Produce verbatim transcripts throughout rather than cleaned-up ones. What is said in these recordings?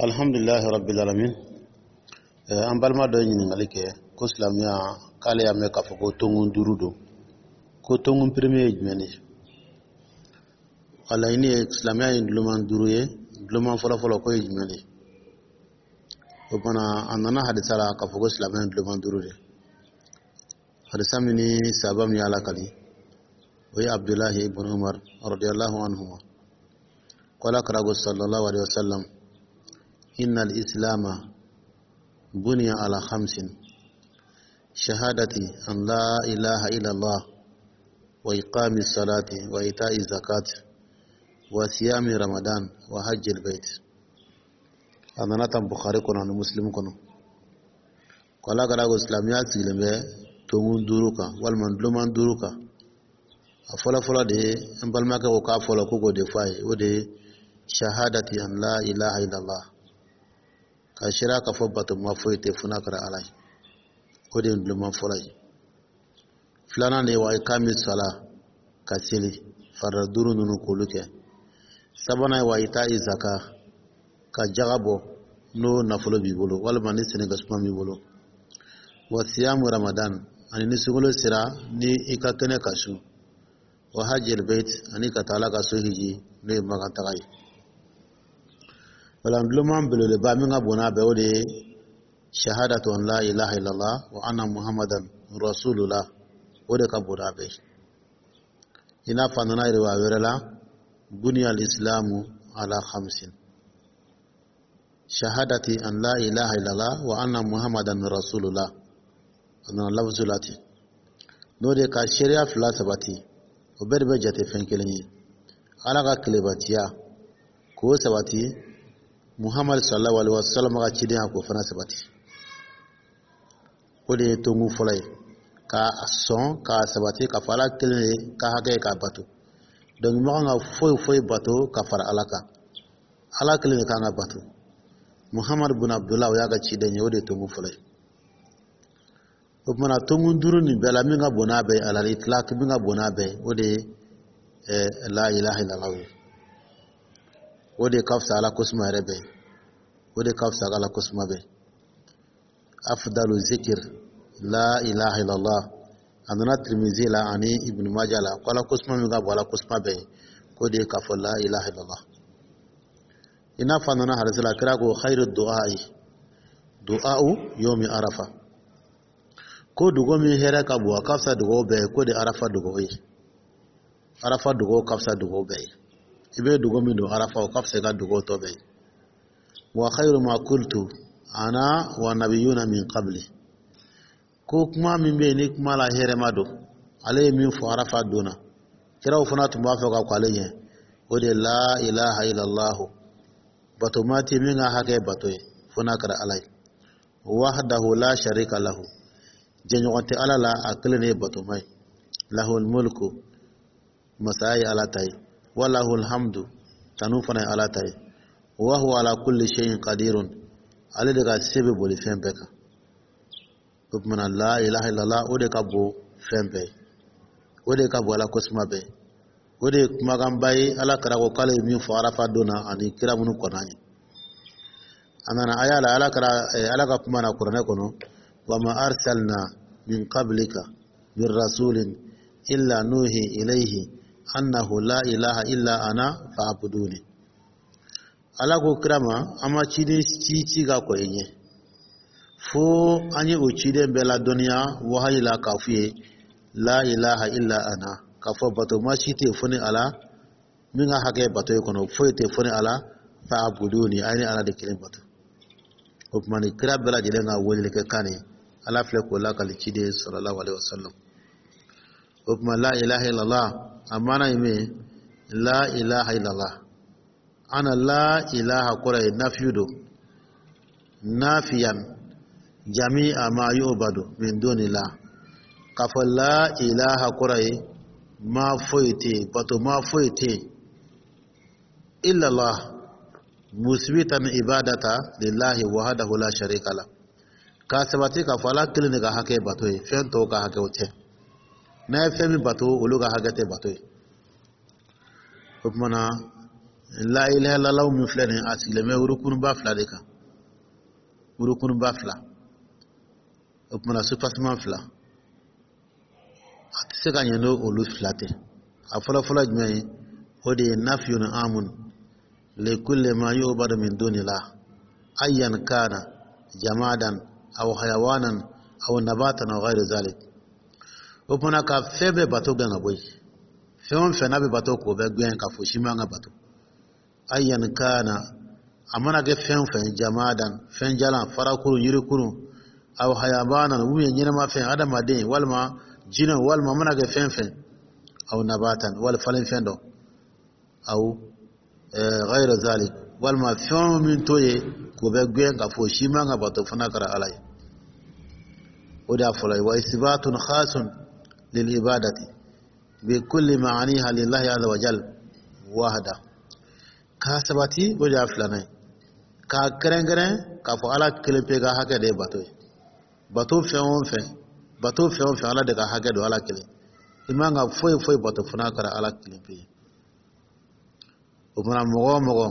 Alhamdulilahi rabbil alamin. An balima dɔ ye ɲininkali kɛ ko silamɛya, k'ale y'a mɛn k'a fɔ ko tonkun duuru don, ko tonkun premier ye jumɛn de ye? A laɲini ye silamɛya ye duloman duuru ye, duloman fɔlɔfɔlɔ ko ye jumɛn de ye? O kumana, a nana hadisa la k'a fɔ ko silamɛya ye duloman duuru de. Hadisa min ni sahaba min y'a lakali, o ye Abdulahi ibn Umar radiyallahu anhuma, ko Ala kira ko sallallahu alaihi wasallam: inna al-islama buniya ala khamsin, shahadati an la ilaha illallah wa iqami salati wa ita'i zakat wa siyami Ramadan wa hajjil bait. A nana tan Bukhari kɔnɔ ani Muslim kɔnɔ, ko Ala kira ko silamɛya sigilen bɛ tonkun duuru kan walima duloman duuru kan. A fɔlɔfɔlɔ de ye, an balimakɛ ko k'a fɔlɔ ko k'o de fɔ a ye, o de ye shahadati an la ilaha illallah, ka seereya k'a fɔ batoma foyi tɛ fo n'a kɛra Ala ye. O de ye duloman fɔlɔ ye. Filanan de ye wa ikami sala, ka seli farida duuru ninnu k'olu kɛ. Sabanan ye wa ita'i zaka, ka jaga bɔ n'o nafolo b'i bolo walima ni sɛnɛkɛ suma b'i bolo. Wa siyamu Ramadan, ani ni sunkalo sera ni i ka kɛnɛ ka sun. Wa hajjil bait, ani ka taa Ala ka so hiji, n'o ye Makan taga ye. Wala duloman belebeleba min ka bon n'a bɛɛ, o de ye shahadatu an la ilaha illallah wa anna Muhammadan rasulullah. O de ka bon n'a bɛɛ ye. I n'a fɔ a nana riwaya wɛrɛ la: buniya al-islamu ala khamsin, shahadati an la ilaha illallah wa anna Muhammadan rasulullah. A nana lafzu la ten, n'o de ka seereya fila sabati, o bɛɛ de bɛ jate fɛn kelen ye. Ala ka kelebatiya k'o sabati, Muhammad sallallahu alaihi wasallam ka cidenya k'o fana sabati, o de ye tonkun fɔlɔ ye. Ka sɔn k'a sabati ka fɔ Ala kelen ye ka hakɛ ye k'a bato. Donc i man kan ka foyi foyi bato ka fara Ala kan. Ala kelen de kan ka bato. Muhammad bin Abdullah, o y'a ka ciden ye. O de ye tonkun fɔlɔ ye. O kumana, tonkun duuru nin bɛɛ la, min ka bon n'a bɛɛ ye, alal itlaq, min ka bon n'a bɛɛ ye, o de ye la ilaha illallah ye. O de ka fisa Ala kosuma yɛrɛ bɛɛ ye, o de ka fisa Ala kosuma bɛɛ. Afdalu zikir la ilaha illallah. A nana Tirimizi la ani Ibn Majah la ko Ala kosuma min ka bon Ala kosuma bɛɛ ye, k'o de ye k'a fɔ la ilaha illallah. I n'a fɔ a nana hadisi la, kira ko khairu du'a'i du'a'u yomi arafa, ko dugawu min hɛrɛ ka bon, a ka fisa dugawu bɛɛ ye, k'o de Arafa dugawu ye. Arafa dugawu ka fisa dugawu bɛɛ ye. I bɛ dugawu min don Arafa, o ka fisa i ka dugawu tɔ bɛɛ ye. Wa khairu ma qultu ana wa nabiyuna min qabli, ko kuma min bɛ yen ni kuma la hɛrɛma don, ale ye min fɔ Arafa don na, kiraw fana tun b'a fɔ ka kɔ ale ɲɛ, o de la ilaha illallah, bato ma tɛ min ka hakɛ bato ye fo n'a kɛra Ala ye, wahdahu la sharika lahu, jɛɲɔgɔn tɛ Ala la, a kelen de ye batoma ye, lahul mulku, masaya ye Ala ta ye, wa lahul hamdu, tanu fana ye Ala ta ye, wa huwa ala kulli shay'in qadirun, ale de ka se bɛ boli fɛn bɛɛ kan. O kumana, la ilaha illallah, o de ka bon fɛn bɛɛ ye, o de ka bon Ala kosuma bɛɛ, o de ye kumakanba ye. Ala kira ko k'ale ye min fɔ Arafa don na ani kira minnu kɔnna ɲɛ. A nana aya la, Ala kɛra Ala ka kuma na kuranɛ kɔnɔ: wa ma arsalna min qablika min rasulin illa nuhi ilayhi annahu la ilaha illa ana fa'buduni. Ala ko kira ma, an ma ciden ci ci ka kɔ i ɲɛ fo an ye o ciden bɛɛ ladɔnniya wahayi la k'a f'u ye la ilaha illa ana, k'a fɔ bato ma si tɛ yen fo ni Ala, min ka hakɛ bato ye kɔnɔ foyi tɛ fo ni Ala, fa'buduni, a ye ni Ala de kelen bato. O tuma, ni kira bɛɛ lajɛlen ka weleli kɛ kan ye, Ala filɛ k'o lakali ciden sallallahu alaihi wasallam. O tuma, la ilaha illallah, a maana ye min ye, la ilaha illallah, ana la ilaha kɔrɔ ye nafiyu don, nafiyan jami'a ma yu'badu min dunillah. K'a fɔ la ilaha kɔrɔ ye ma foyi tɛ yen, bato ma foyi tɛ yen, illallah, musbitan ibadata lillahi wahdahu la sharika la, k'a sabati k'a fɔ Ala kelen de ka hakɛ bato ye, fɛn tɔw ka hakɛ o tɛ. N'a ye fɛn min bato, olu ka hakɛ tɛ bato ye. O tuma na, La ilaha illallah min filɛ nin ye, a sigilen bɛ rukunuba fila de kan, rukunuba fila. O kumana, soubassement fila, a tɛ se ka ɲɛ n'o olu fila tɛ. A fɔlɔ fɔlɔ jumɛn ye? O de ye nafiyun amun likulli ma yu'badu min dunillah, ayyan kana jamadan aw hayawanan aw nabatan aw ghayri zalik. O kumana, ka fɛn bɛɛ bato gɛn ka bɔ yen, fɛn o fɛn n'a bɛ bato, k'o bɛɛ gɛn ka fo si man ka bato. Ayyan kana, a mana kɛ fɛn o fɛn, jamadan, fɛn jalan, farakuru, yirikuru, aw hayawanan, ou bien ɲɛnɛma fɛn, adamaden walima jinɛ, walima a mana kɛ fɛn fɛn, aw nabatan, wali falen fɛn dɔ, aw ghayra zalik, walima fɛn min t'o ye, k'o bɛ gɛn ka fɔ si man ka bato fana kɛra Ala ye. O de y'a fɔlɔ ye. Wa isbatun khasun lil ibadati bi kulli ma'aniha lillahi azza wa jal wahda. K'a sabati, o de y'a filanan ye, k'a kɛrɛnkɛrɛn k'a fɔ Ala kelen pe ka hakɛ de ye bato ye. Bato fɛn o fɛn, bato fɛn o fɛn, Ala de ka hakɛ don, Ala kelen. I man ka foyi foyi bato fana kɛra Ala kelen pe ye. O fana, mɔgɔ o mɔgɔ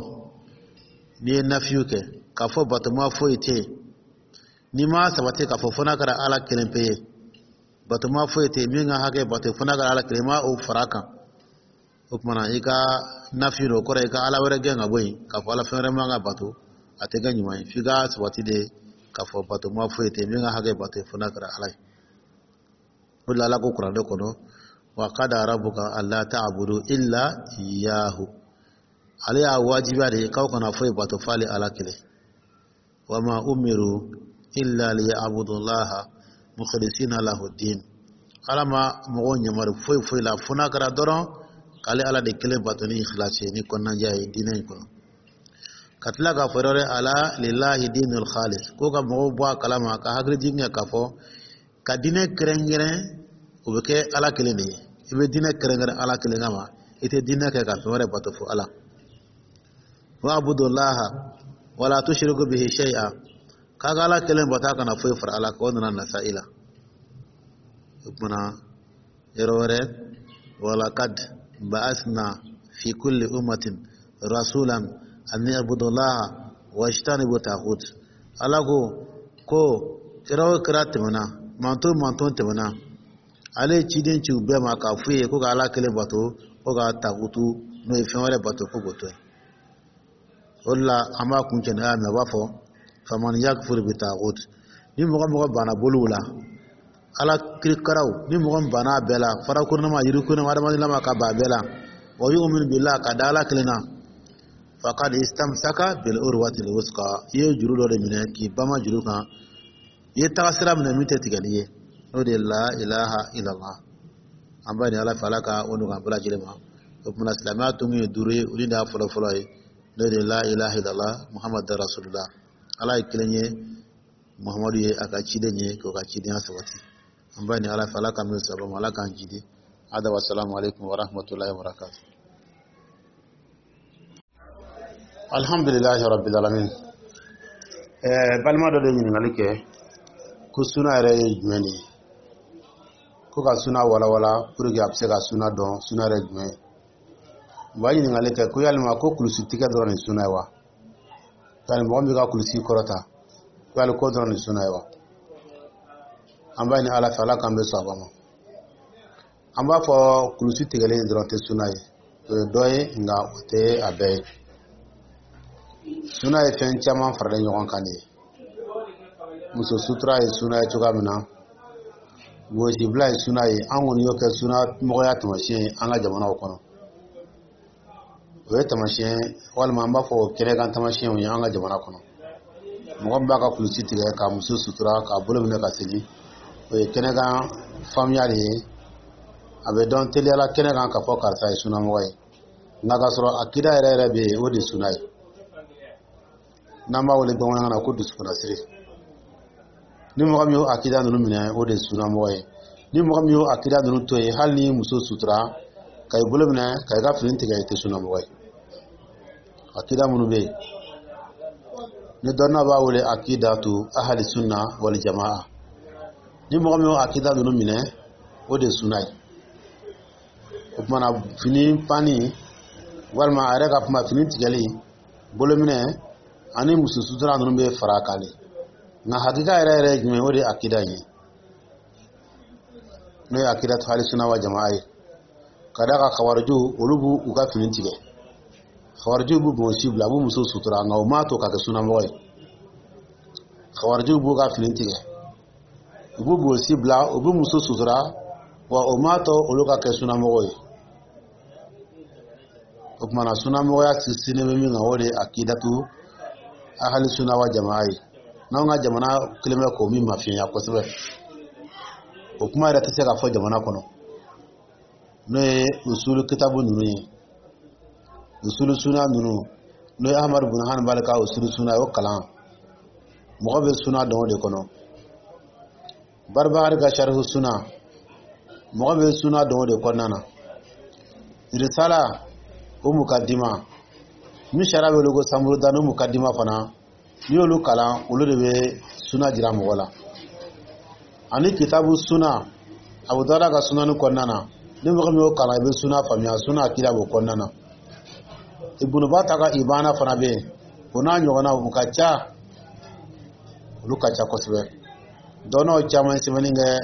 n'i ye nafiyu kɛ k'a fɔ batoma foyi tɛ yen, n'i ma sabati k'a fɔ fo n'a kɛra Ala kelen pe ye, batoma foyi tɛ yen min ka hakɛ bato fo n'a kɛra Ala kelen, i ma o fara kan, o kumana i ka nafiyu o kɔrɔ i ka Ala wɛrɛ gɛn ka bɔ yen, k'a fɔ Ala fɛn wɛrɛ man ka bato, a tɛ kɛ ɲuman ye. F'i ka sabati de k'a fɔ batoma foyi tɛ yen min ka hakɛ bato fo n'a kɛra Ala ye. O de la, Ala ko Kuranɛ kɔnɔ: wa qada rabbuka alla ta'budu illa iyyahu. Ale y'a wajibiya de k'aw kana foyi bato f'ale Ala kelen. Wa ma umiru illa liya'budullaha mukhlisina lahu din. Ala ma mɔgɔw ɲamari foyi foyi la fo n'a kɛra dɔrɔn k'ale Ala de kelen bato ni ikhlasi ye, ni kɔnɔnajɛ ye diinɛ in kɔnɔ. Ka tila k'a fɔ yɔrɔ ala lillahi dinul khalis, ko ka mɔgɔw bɔ a kalama, ka hakili jigin kɛ k'a fɔ ka diinɛ kɛrɛnkɛrɛn, o bɛ kɛ Ala kelen de ye. I bɛ diinɛ kɛrɛnkɛrɛn Ala kelen kama, i tɛ diinɛ kɛ ka fɛn wɛrɛ bato fo Ala. Wa'budullaha wala tushriku bihi shay'a, k'a ka Ala kelen bato, a kana foyi fara Ala kan. O nana Nasa'i la. O kumana, yɔrɔ wɛrɛ: walaqad ba'asna fi kulli ummatin rasulan an i'budullaha wajtanibu taghut. Ala ko ko kira o kira tɛmɛna, manton manton tɛmɛna, ale ye ciden ci u bɛɛ ma k'a f'u ye ko ka Ala kelen bato, ko ka tagutu, n'o ye fɛn wɛrɛ bato, ko k'o to yen. O de la, an b'a kun cɛ n'a mɛn, a b'a fɔ: faman yakfur bi taghut. Ni mɔgɔ mɔgɔ banna boliw la, Ala kirikaraw, ni mɔgɔ min banna a bɛɛ la, farakurunama, yirikurunama, adamadenya ka ban a bɛɛ la, wa yu'min billah, ka da Ala kelen na, faqad istamsaka bil urwatil wusqa. I ye juru dɔ de minɛ k'i bama juru kan, i ye taga sira minɛ min tɛ tigɛ n'i ye, n'o de ye la ilaha illallah. An b'a ɲini Ala fɛ, Ala ka o nɔgɔya bɛɛ lajɛlen ma. O kumana, silamɛya tun ye duuru ye, olu de y'a fɔlɔ fɔlɔ ye, n'o de ye la ilaha illallah Muhammad rasulullah. Ala ye kelen ye, Muhammadu ye a ka ciden ye, k'o ka cidenya sabati. An b'a ɲini Ala fɛ, Ala ka min saba ma, Ala k'an jidi. Hada wa salamu alaikum wa rahmatullahi wa barakatuh. Alhamdulilahi rabbil alamin. Ɛɛ, balima dɔ de ɲininkali kɛ ko suna yɛrɛ ye jumɛn de ye, ko ka suna walawala pour que a bɛ se ka suna dɔn, suna yɛrɛ jumɛn ye. U b'a ɲininkali kɛ ko yalima ko kulusi tigɛ dɔrɔn de suna ye wa? Yali mɔgɔ min bɛ ka kulusi kɔrɔta, ko yali ko dɔrɔn de suna ye wa? An b'a ɲini Ala fɛ, Ala k'an bɛ sɔn a ma. An b'a fɔ kulusi tigɛlen dɔrɔn tɛ suna ye, o ye dɔ ye, nka o tɛ a bɛɛ ye. Suna ye fɛn caman faralen ɲɔgɔn kan de ye. Muso sutura ye suna ye cogoya min na, gosibila ye suna ye. An kɔni y'o kɛ suna mɔgɔya taamasiyɛn ye an ka jamanaw kɔnɔ. O ye taamasiyɛn, walima an b'a fɔ o kɛnɛkan taamasiyɛnw ye an ka jamana kɔnɔ. Mɔgɔ min b'a ka kulusi tigɛ ka muso sutura, k'a bolo minɛ ka seli, o ye kɛnɛkan faamuya de ye. A bɛ dɔn teliyala kɛnɛ kan k'a fɔ karisa ye sunamɔgɔ ye, nka k'a sɔrɔ akida yɛrɛ yɛrɛ bɛ yen, o de ye suna ye, n'an b'a wele bamanankan na ko dusukunnasiri. Ni mɔgɔ min y'o akida ninnu minɛ, o de ye sunamɔgɔ ye. Ni mɔgɔ min y'o akida ninnu to yen, hali ni muso sutura ka i bolo minɛ ka i ka fini tigɛ, i tɛ sunamɔgɔ ye. Akida minnu bɛ yen ni dɔnniya b'a wele akidatu ahali sunna wal jamaa, ni mɔgɔ min y'o akida ninnu minɛ, o de ye suna ye. O kumana, fini panni Walima a yɛrɛ ka kuma, fini tigɛli, bolominɛ ani muso sutura ninnu bɛ fara a kan de. Nka hakika yɛrɛ yɛrɛ ye jumɛn ye? O de ye akida in ye, n'o ye akida ahli sunna wa jamaa ye. Ka d'a kan kawarijiw, olu b'u u ka fini tigɛ, kawarijiw b'u bonsi bila, a b'u muso sutura, nka u m'a to ka kɛ sunamɔgɔ ye. Kawarijiw b'u ka fini tigɛ, u b'u bonsi bila, u b'u muso sutura, wa o m'a to olu ka kɛ sunamɔgɔ ye. O tuma na, sunamɔgɔya sinsinnen bɛ min kan, o de ye akidatu ahali sunna wa jamaa ye. N'anw ka jamana kelen bɛ k'o min mafiɲɛya kosɛbɛ, o kuma yɛrɛ tɛ se ka fɔ jamana kɔnɔ, n'o ye usulu kitabu ninnu ye, usulu suna ninnu, n'o ye Ahmadu bin Hanbali ka usulu suna ye. O kalan, mɔgɔ bɛ suna dɔn o de kɔnɔ. Barbahari ka sarihu suna, mɔgɔ bɛ suna dɔn o de kɔnɔna na. Risala, o mukadima min sariya bɛ wele ko samurudani, o mukadima fana, n'i y'olu kalan, olu de bɛ suna jira mɔgɔ la. Ani kitabu suna, Abu Dawuda ka sunani kɔnɔna na, ni mɔgɔ min y'o kalan, i bɛ suna faamuya, suna akida b'o kɔnɔna na. Ibunu Bata ka Ibana fana bɛ yen, o n'a ɲɔgɔnnaw, u ka ca, olu ka ca kosɛbɛ. Dɔnnaw caman ye sɛbɛnni kɛ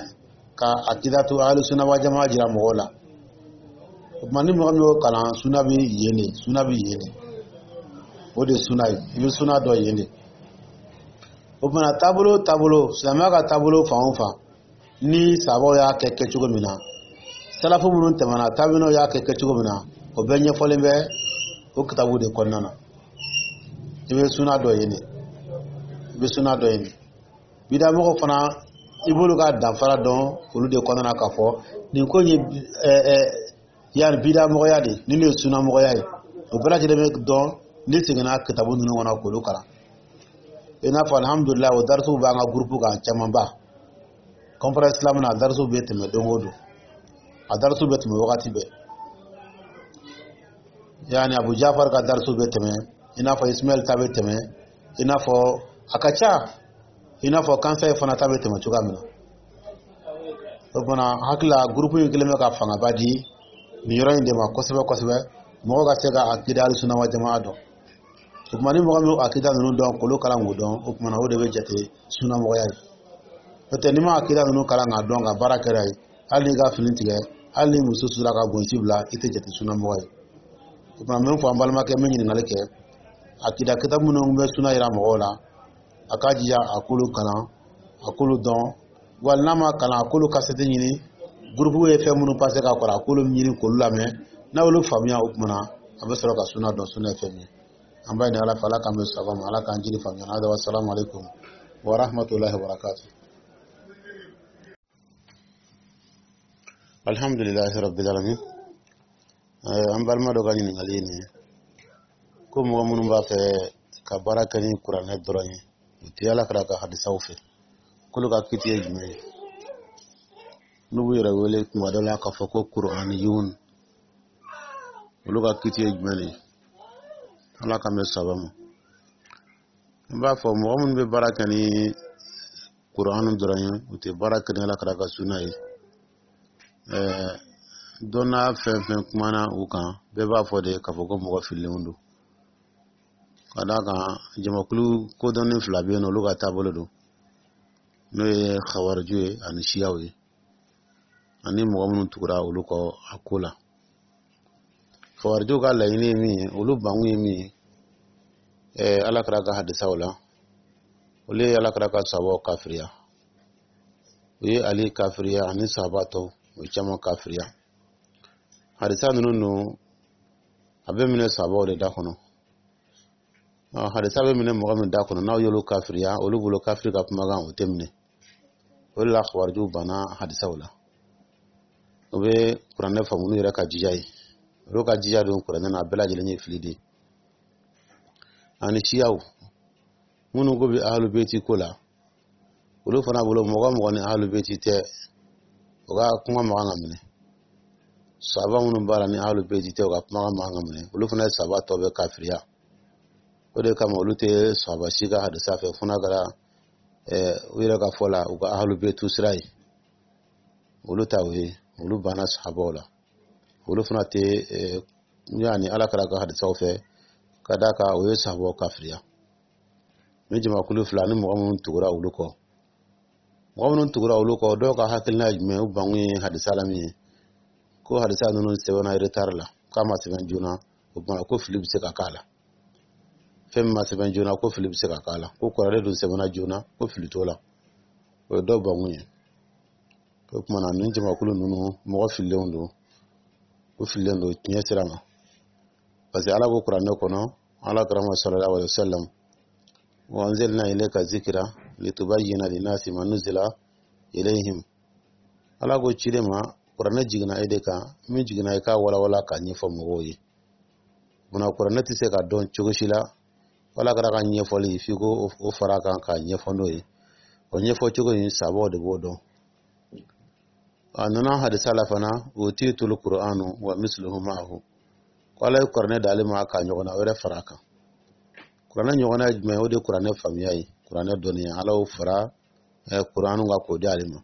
ka akidatu ahli sunna wa jamaa jira mɔgɔw la. O tuma, ni mɔgɔ min y'o kalan, suna bɛ yen de, suna bɛ yen de, o de ye suna ye, i bɛ suna dɔn yen de. O tuma, taabolo taabolo, silamɛya ka taabolo fan o fan, ni sabaw y'a kɛ kɛcogo min na, salafu minnu tɛmɛna, taabinaw y'a kɛ kɛcogo min na, o bɛɛ ɲɛfɔlen bɛ o kitabu de kɔnɔna na. I bɛ suna dɔ yen de, i bɛ suna dɔ yen de. Bidamɔgɔ fana, i b'olu ka danfara dɔn olu de kɔnɔna na, k'a fɔ nin ko in ye ɛɛ ɛɛ yanni bidamɔgɔya de, nin de ye sunamɔgɔya ye. O bɛɛ lajɛlen bɛ dɔn n'i seginna kitabu ninnu kɔnɔ k'olu kalan. I n'a fɔ, alihamudulilayi, o darisuw b'an ka gurupu kan camanba. Conférence islam na, a darisuw bɛ tɛmɛ don o don, a darisuw bɛ tɛmɛ wagati bɛɛ. Yanni Abu Jafar ka darisuw bɛ tɛmɛ, i n'a fɔ Ismail ta bɛ tɛmɛ, i n'a fɔ a ka ca, i n'a fɔ kansɛ fana ta bɛ tɛmɛ cogoya min na. O tuma, hakili la, gurupu in kɛlen bɛ ka fangaba di nin yɔrɔ in de ma kosɛbɛ kosɛbɛ, mɔgɔ ka se ka akida sunna wa jamaa dɔn. O tuma, ni mɔgɔ min akida ninnu dɔn, k'olu kalan k'o dɔn, o tuma na, o de bɛ jate sunnamɔgɔya ye. N'o tɛ, n'i ma akida ninnu kalan k'a dɔn, ka baara kɛra ye, hali n'i ka fini tigɛ, hali ni muso sera ka bonsi bila, i tɛ jate sunnamɔgɔ ye. O tuma, n bɛ fɔ an balimakɛ min ɲininkali kɛ, akida kitabu minnu bɛ suna yira mɔgɔw la, a k'a jija a k'olu kalan, a k'olu dɔn. Wali n'a ma kalan, a k'olu kasɛti ɲini, gurupu ye fɛn minnu pase ka kɔrɔ, a k'olu ɲini k'olu lamɛn. N'a y'olu faamuya, o tuma na, a bɛ sɔrɔ ka suna dɔn, suna ye fɛn min ye. An b'a ɲini Ala fɛ, Ala k'an bɛ saba ma, Ala k'an jiri faamuya. Hada, wa salamu alaikum wa rahmatullahi wa barakatuh. Alhamdulilahi rabbil alamin. An balima dɔ ka ɲininkali ye nin ye, ko mɔgɔ minnu b'a fɛ ka baara kɛ ni kuranɛ dɔrɔn ye, u tɛ Ala kira ka hadisaw fɛ, k'olu ka kiti ye jumɛn ye? N'u b'u yɛrɛ wele tuma dɔ la k'a fɔ ko kuraniyun, olu ka kiti ye jumɛn ye? Ala k'an bɛ saba ma. N b'a fɔ, mɔgɔ minnu bɛ baara kɛ ni kuranɛ dɔrɔn ye, u tɛ baara kɛ ni Ala kira ka suna ye, ɛɛ dɔnna fɛn fɛn kumana u kan, bɛɛ b'a fɔ de k'a fɔ ko mɔgɔ fililenw don. Ka d'a kan jamakulu kodɔnni fila bɛ yen nɔ, olu ka taabolo don, n'o ye xawariju ye ani siyaw ye, ani mɔgɔ minnu tugura olu kɔ a ko la. Xawarijiw ka laɲini ye min ye, olu bankun ye min ye ɛɛ Ala kira ka hadisaw la, olu ye Ala kira ka sabaw kafiriya, u ye Ali kafiriya ani sahaba tɔw, u ye caman kafiriya. Hadisa ninnu dun, a bɛ minɛ sabaw de da kɔnɔ. Hadisa bɛ minɛ mɔgɔ min da kɔnɔ, n'aw y'olu kafiriya, olu bolo kafiri ka kumakan o tɛ minɛ. O de la xawarijiw banna hadisaw la, u bɛ kuranɛ faamu n'u yɛrɛ ka jija ye. Olu ka jija don kuranɛ na, a bɛɛ lajɛlen ye fili de ye. Ani siyaw minnu ko bɛ ahalu beti ko la, olu fana bolo, mɔgɔ mɔgɔ ni ahalu beti tɛ, o ka kuma man kan ka minɛ. Saba minnu b'a la ni ahalu beti tɛ, o ka kuma man kan ka minɛ. Olu fana ye saba tɔ bɛ kafiriya. O de kama olu tɛ saba si ka hadisa fɛ, fo n'a kɛra u yɛrɛ ka fɔ la, u ka ahalu betu sira ye. Olu ta o ye, olu banna sahabaw la, olu fana tɛ. Yani Ala kira ka hadisaw fɛ, ka d'a kan o ye sahabaw kafiriya. Ni jamakulu fila ni mɔgɔ minnu tugura olu kɔ, mɔgɔ minnu tugura olu kɔ, dɔw ka hakilina ye jumɛn? U bankun ye hadisa la min ye, ko hadisa ninnu sɛbɛnna retard la, k'a ma sɛbɛn joona. O tuma, ko fili bɛ se ka k'a la. Fɛn min ma sɛbɛn joona, ko fili bɛ se ka k'a la. Ko kɔrɔlen dun sɛbɛnna joona, ko fili t'o la. O ye dɔw bankun ye. O tuma na, nin jamakulu ninnu, mɔgɔ fililenw don, u fililen don tiɲɛ sira ma, parce que Ala ko Kuranɛ kɔnɔ, Ala kira ma sallallahu alaihi wa sallam: wa anzalna ilayka zikra litubayyina linnasi ma nuzila ilayhim. Ala ko ciden ma: Kuranɛ jiginna e de kan, min jiginna, i k'a walawala k'a ɲɛfɔ mɔgɔw ye. Munna Kuranɛ tɛ se ka dɔn cogo si la, wala kɛra ka ɲɛfɔli f'i ko o fara kan k'a ɲɛfɔ n'o ye? O ɲɛfɔ cogo in, sabaw de b'o dɔn. A nana hadisa la fana: utitul qur'anu wa misluhu ma'ahu. Ko Ala ye Kuranɛ d'ale ma k'a ɲɔgɔnna wɛrɛ fara a kan. Kuranɛ ɲɔgɔnna ye jumɛn ye? O de ye Kuranɛ faamuya ye, Kuranɛ dɔnniya. Ala y'o fara Kuranɛ kan k'o di ale ma.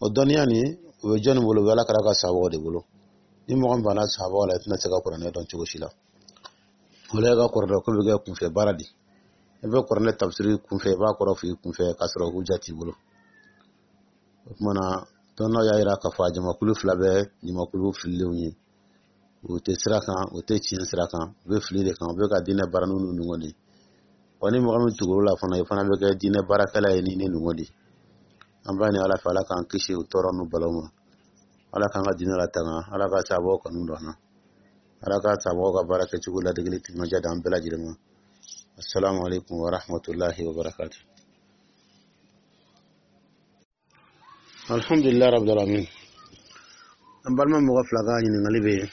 O dɔnniya nin, o bɛ jɔnni bolo? O bɛ Ala kira ka sabaw de bolo. Ni mɔgɔ min banna sabaw la, i tɛna se ka Kuranɛ dɔn cogo si la. O la, e ka kuranɛ ko bɛ kɛ kunfɛ baara de. I bɛ Kuranɛ tafsiri kunfɛ, i b'a kɔrɔ fɔ i kunfɛ, k'a sɔrɔ hujja t'i bolo. O tuma na, dɔnnaw y'a yira k'a fɔ a jamakulu fila bɛɛ jamakulu fililenw ye. U tɛ sira kan, u tɛ tiɲɛ sira kan, u bɛ fili de kan, u bɛ ka diinɛ baara n'u ɲɔgɔn de. Wa ni mɔgɔ min tugur'o la fana, i fana bɛ kɛ diinɛ baarakɛla ye ni ne ɲɔgɔn de. An b'a ɲini Ala fɛ, Ala k'an kisi o tɔɔrɔ n'u balaw ma. Ala k'an ka diinɛ latanga. Ala ka sababu kanu don an na. Ala ka sababu ka baara kɛcogo ladegeli timinadiya d'an bɛɛ lajɛlen ma. Assalamu alaikum wa rahmatullahi wa barakatuh. Alhamdulillah rabbil alamin. An balima mɔgɔ fila ka ɲininkali bɛ yen.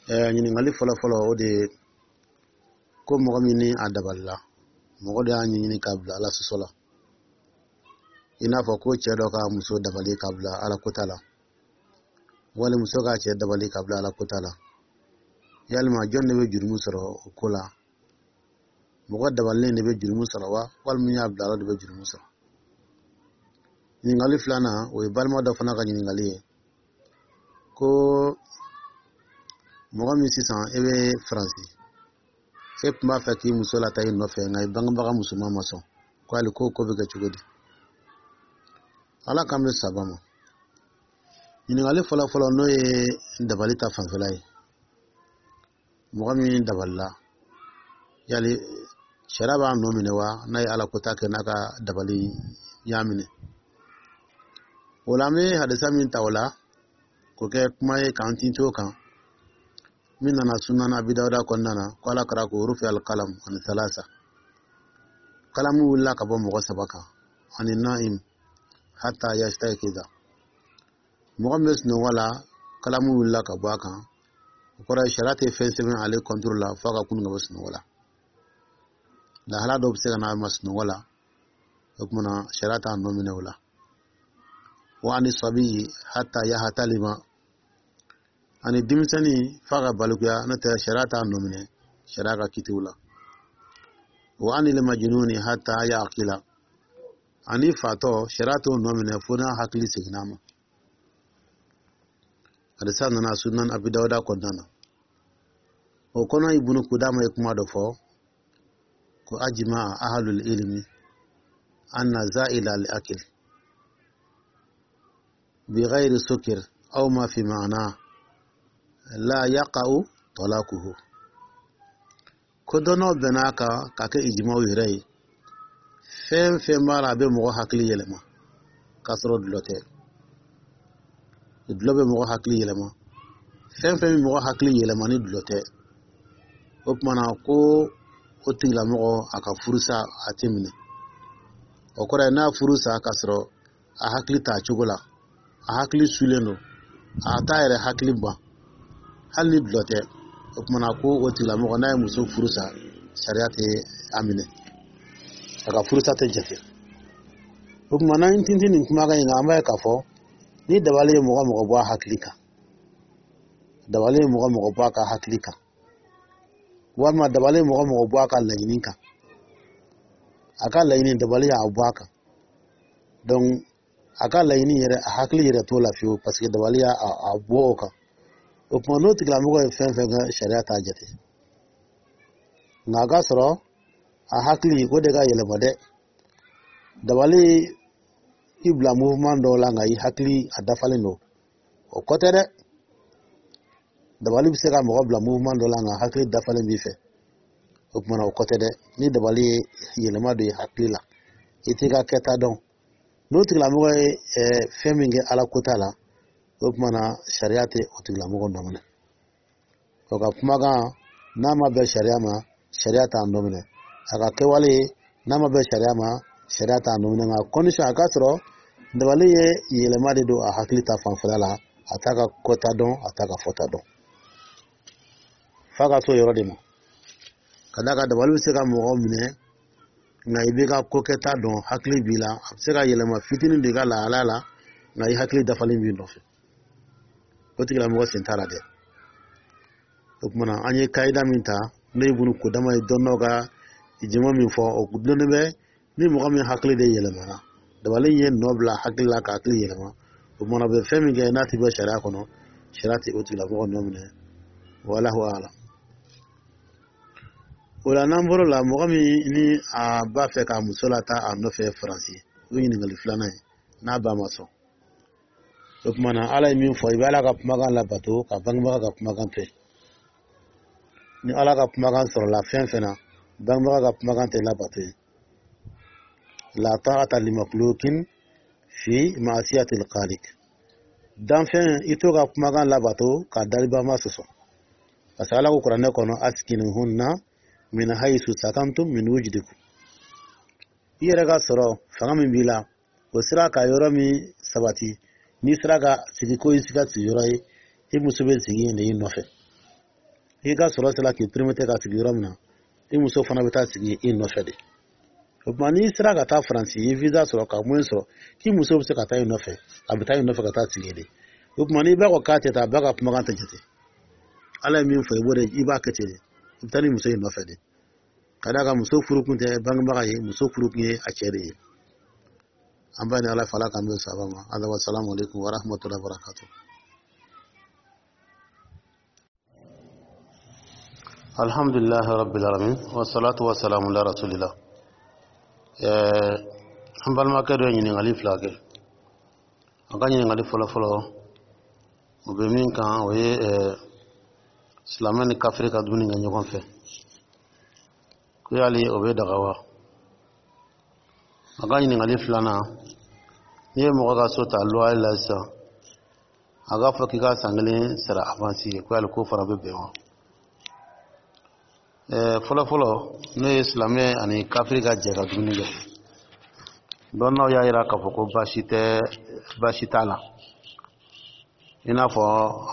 Ɲininkali fɔlɔ fɔlɔ, o de ye ko mɔgɔ min ni a dabalila, mɔgɔ de y'a ɲɛɲini k'a bila Ala sɔsɔ la, i n'a fɔ ko cɛ dɔ ka muso dabali k'a bila Ala kota la, wali muso k'a cɛ dabali k'a bila Ala kota la, yalima jɔn de bɛ jurumu sɔrɔ o ko la? Mɔgɔ dabalilen de bɛ jurumu sɔrɔ wa, walima min y'a bila Ala de bɛ jurumu sɔrɔ? Ɲininkali filanan, o ye balima dɔ fana ka ɲininkali ye, ko mɔgɔ min sisan e bɛ Faransi, e tun b'a fɛ k'i muso lataa i nɔfɛ, nka i bangebaga musoman ma sɔn, ko hali ko ko bɛ kɛ cogo di? Ala k'an bɛ saba ma. Ɲininkali fɔlɔ fɔlɔ, n'o ye dabali ta fanfɛla ye, mɔgɔ min dabalila, yali sariya b'a nɔ minɛ wa, n'a ye Ala kota kɛ n'a ka dabali y'a minɛ? O la, an bɛ hadisa min ta o la k'o kɛ kuma ye k'an tintin o kan, min nana Sunan Abi Dawuda kɔnɔna na, ko Ala kira ko: rufi alkalam ani salasa. Kalamu wulila ka bɔ mɔgɔ saba kan: ani naim hatta yastaykiza. Mɔgɔ min bɛ sunɔgɔ la, kalamu wulila ka bɔ a kan. O kɔrɔ ye, sariya tɛ fɛn sɛbɛn ale contre la f'a ka kunun ka bɔ sunɔgɔ la. Lahala dɔw bɛ se ka n'a ma sunɔgɔ la, o tuma na sariya t'a nɔ minɛ o la. Wa ani sabiyi hatta yahatalima. Ani denmisɛnnin f'a ka balikuya, n'o tɛ sariya t'a nɔ minɛ sariya ka kitiw la. Wa ani limajinuni hatta yaqila. Ani fatɔ, sariya t'o nɔ minɛ fo n'a hakili seginna a ma. Hadisa nana Sunan Abi Dawuda kɔnɔna na. O kɔnɔ, Ibunu Kudama ye kuma dɔ fɔ ko: ajima ahlul ilmi anna za'ila al akil بغير سكر أو ما في معناه لا يقع طلاقه. Ko dɔnnaw bɛn'a kan k'a kɛ ijimaw yɛrɛ ye, fɛn fɛn b'a la a bɛ mɔgɔ hakili yɛlɛma k'a sɔrɔ dulɔ tɛ, dulɔ bɛ mɔgɔ hakili yɛlɛma, fɛn fɛn bɛ mɔgɔ hakili yɛlɛma ni dulɔ tɛ, o tuma na ko o tigilamɔgɔ a ka furusa a tɛ minɛ. O kɔrɔ ye, n'a furu sa k'a sɔrɔ a hakili t'a cogo la, a hakili sulen don, a t'a yɛrɛ hakili ban, hali ni dulɔ tɛ, o tuma na ko o tigilamɔgɔ n'a ye muso furu sa, sariya tɛ a minɛ, a ka furusa tɛ jate. O tuma, n'an tintin nin kumakan in kan, an b'a ye k'a fɔ ni dabali ye mɔgɔ mɔgɔ bɔ a hakili kan, dabali ye mɔgɔ mɔgɔ bɔ a ka hakili kan, walima dabali ye mɔgɔ mɔgɔ bɔ a ka laɲini kan, a ka laɲini, dabali y'a bɔ a kan, donc a ka laɲini yɛrɛ, a hakili yɛrɛ t'o la fiyewu, parce que dabali y'a a bɔ o kan. O tuma, n'o tigilamɔgɔ ye fɛn fɛn kɛ, sariya t'a jate. Nka a ka sɔrɔ a hakili o de ka yɛlɛma dɛ. Dabali i bila mouvement dɔw la, nka i hakili a dafalen don, o kɔ tɛ dɛ. Dabali bɛ se ka mɔgɔ bila mouvement dɔ la, nka hakili dafalen b'i fɛ. O kumana, o kɔ tɛ dɛ. Ni dabali ye yɛlɛma don i hakili la, i t'i ka kɛta dɔn, n'o tigilamɔgɔ ye fɛn min kɛ Ala ko t'a la, o kumana, sariya tɛ o tigilamɔgɔ nɔ minɛ. O ka kumakan, n'a ma bɛn sariya ma, sariya t'a nɔ minɛ. A ka kɛwale, n'a ma bɛn sariya ma, sariya t'a nɔ minɛ. Nka condition, a ka sɔrɔ dabali ye yɛlɛma de don a hakili ta fanfɛla la, a t'a ka kɔta dɔn, a t'a ka fɔta dɔn, f'a ka s'o yɔrɔ de ma. Ka d'a kan, dabali bɛ se ka mɔgɔ minɛ, nka i b'i ka ko kɛta dɔn, hakili b'i la. A bɛ se ka yɛlɛma fitinin don i ka lahalaya la, nka i hakili dafalen b'i nɔfɛ. O tigilamɔgɔ sen t'a la dɛ. O kumana, an ye kayida min ta, n'o ye Ibunu Kodama ye, dɔnnaw ka jama min fɔ, o dulonnen bɛ ni mɔgɔ min hakili de yɛlɛmana, dabali ye nɔ bila hakili la ka hakili yɛlɛma. O kumana, bɛ fɛn min kɛ, n'a ti bɔ sariya kɔnɔ, sariya tɛ o tigilamɔgɔ nɔ minɛ. Walahu alam. O la, n'an bɔr'o la, mɔgɔ min ni a b'a fɛ ka muso lataa a nɔfɛ Faransi, o ye ɲininkali filanan ye, n'a ba ma sɔn, o tuma na, Ala ye min fɔ, i bɛ Ala ka kumakan labato ka bangebaga ka kumakan to yen. Ni Ala ka kumakan sɔrɔla fɛn fɛn na, bangebaga ka kumakan tɛ labato yen. La ta'ata limakhluqin fi ma'siyatil khaliq. Danfɛn, i t'o ka kumakan labato ka dalibama sɔsɔ, parce que Ala ko Kuranɛ kɔnɔ: askinuhunna min haythu sakantum min wujdikum. I yɛrɛ ka sɔrɔ fanga min b'i la, o sera ka yɔrɔ min sabati, n'i sera ka sigi ko i ka sigiyɔrɔ ye, i muso bɛ sigi yen de i nɔfɛ. I ka sɔrɔ sera k'i permettre ka sigi yɔrɔ min na, i muso fana bɛ taa sigi i nɔfɛ de. O tuma, n'i sera ka taa Faransi, i ye visa sɔrɔ ka moyen sɔrɔ k'i muso bɛ se ka taa i nɔfɛ, a bɛ taa i nɔfɛ ka taa sigi de. O tuma, n'i b'a ko k'a tɛ taa, a ba ka kumakan tɛ jate. Ala ye min fɔ, i b'o de, i b'a kɛ ten de. I bɛ taa ni muso in nɔfɛ de, ka d'a kan muso furu kun tɛ bangebaga ye, muso furu kun ye a cɛ de ye. An b'a ni Ala fɛ, Ala k'an bɛn saba ma. Ala wa salamu alaikum wa rahmatullahi wa barakatuh. Alhamdulillahi rabbil alamin, wa salatu wa salamu ala rasulillah. An balimakɛ dɔ ye ɲininkali fila kɛ. A ka ɲininkali fɔlɔ fɔlɔ, o bɛ min kan, o ye silamɛ ni kafiri ka dumuni kɛ ɲɔgɔn fɛ, ko yali o bɛ daga wa? A ka ɲininkali filanan, n'i ye mɔgɔ ka so ta loyer la sisan, a k'a fɔ k'i ka san kelen sara avance ye, ko yali k'o fana bɛ bɛn wa? Fɔlɔ fɔlɔ, n'o ye silamɛ ani kafiri ka jɛ ka dumuni kɛ, dɔnnaw y'a yira k'a fɔ ko baasi tɛ, baasi t'a la. I n'a fɔ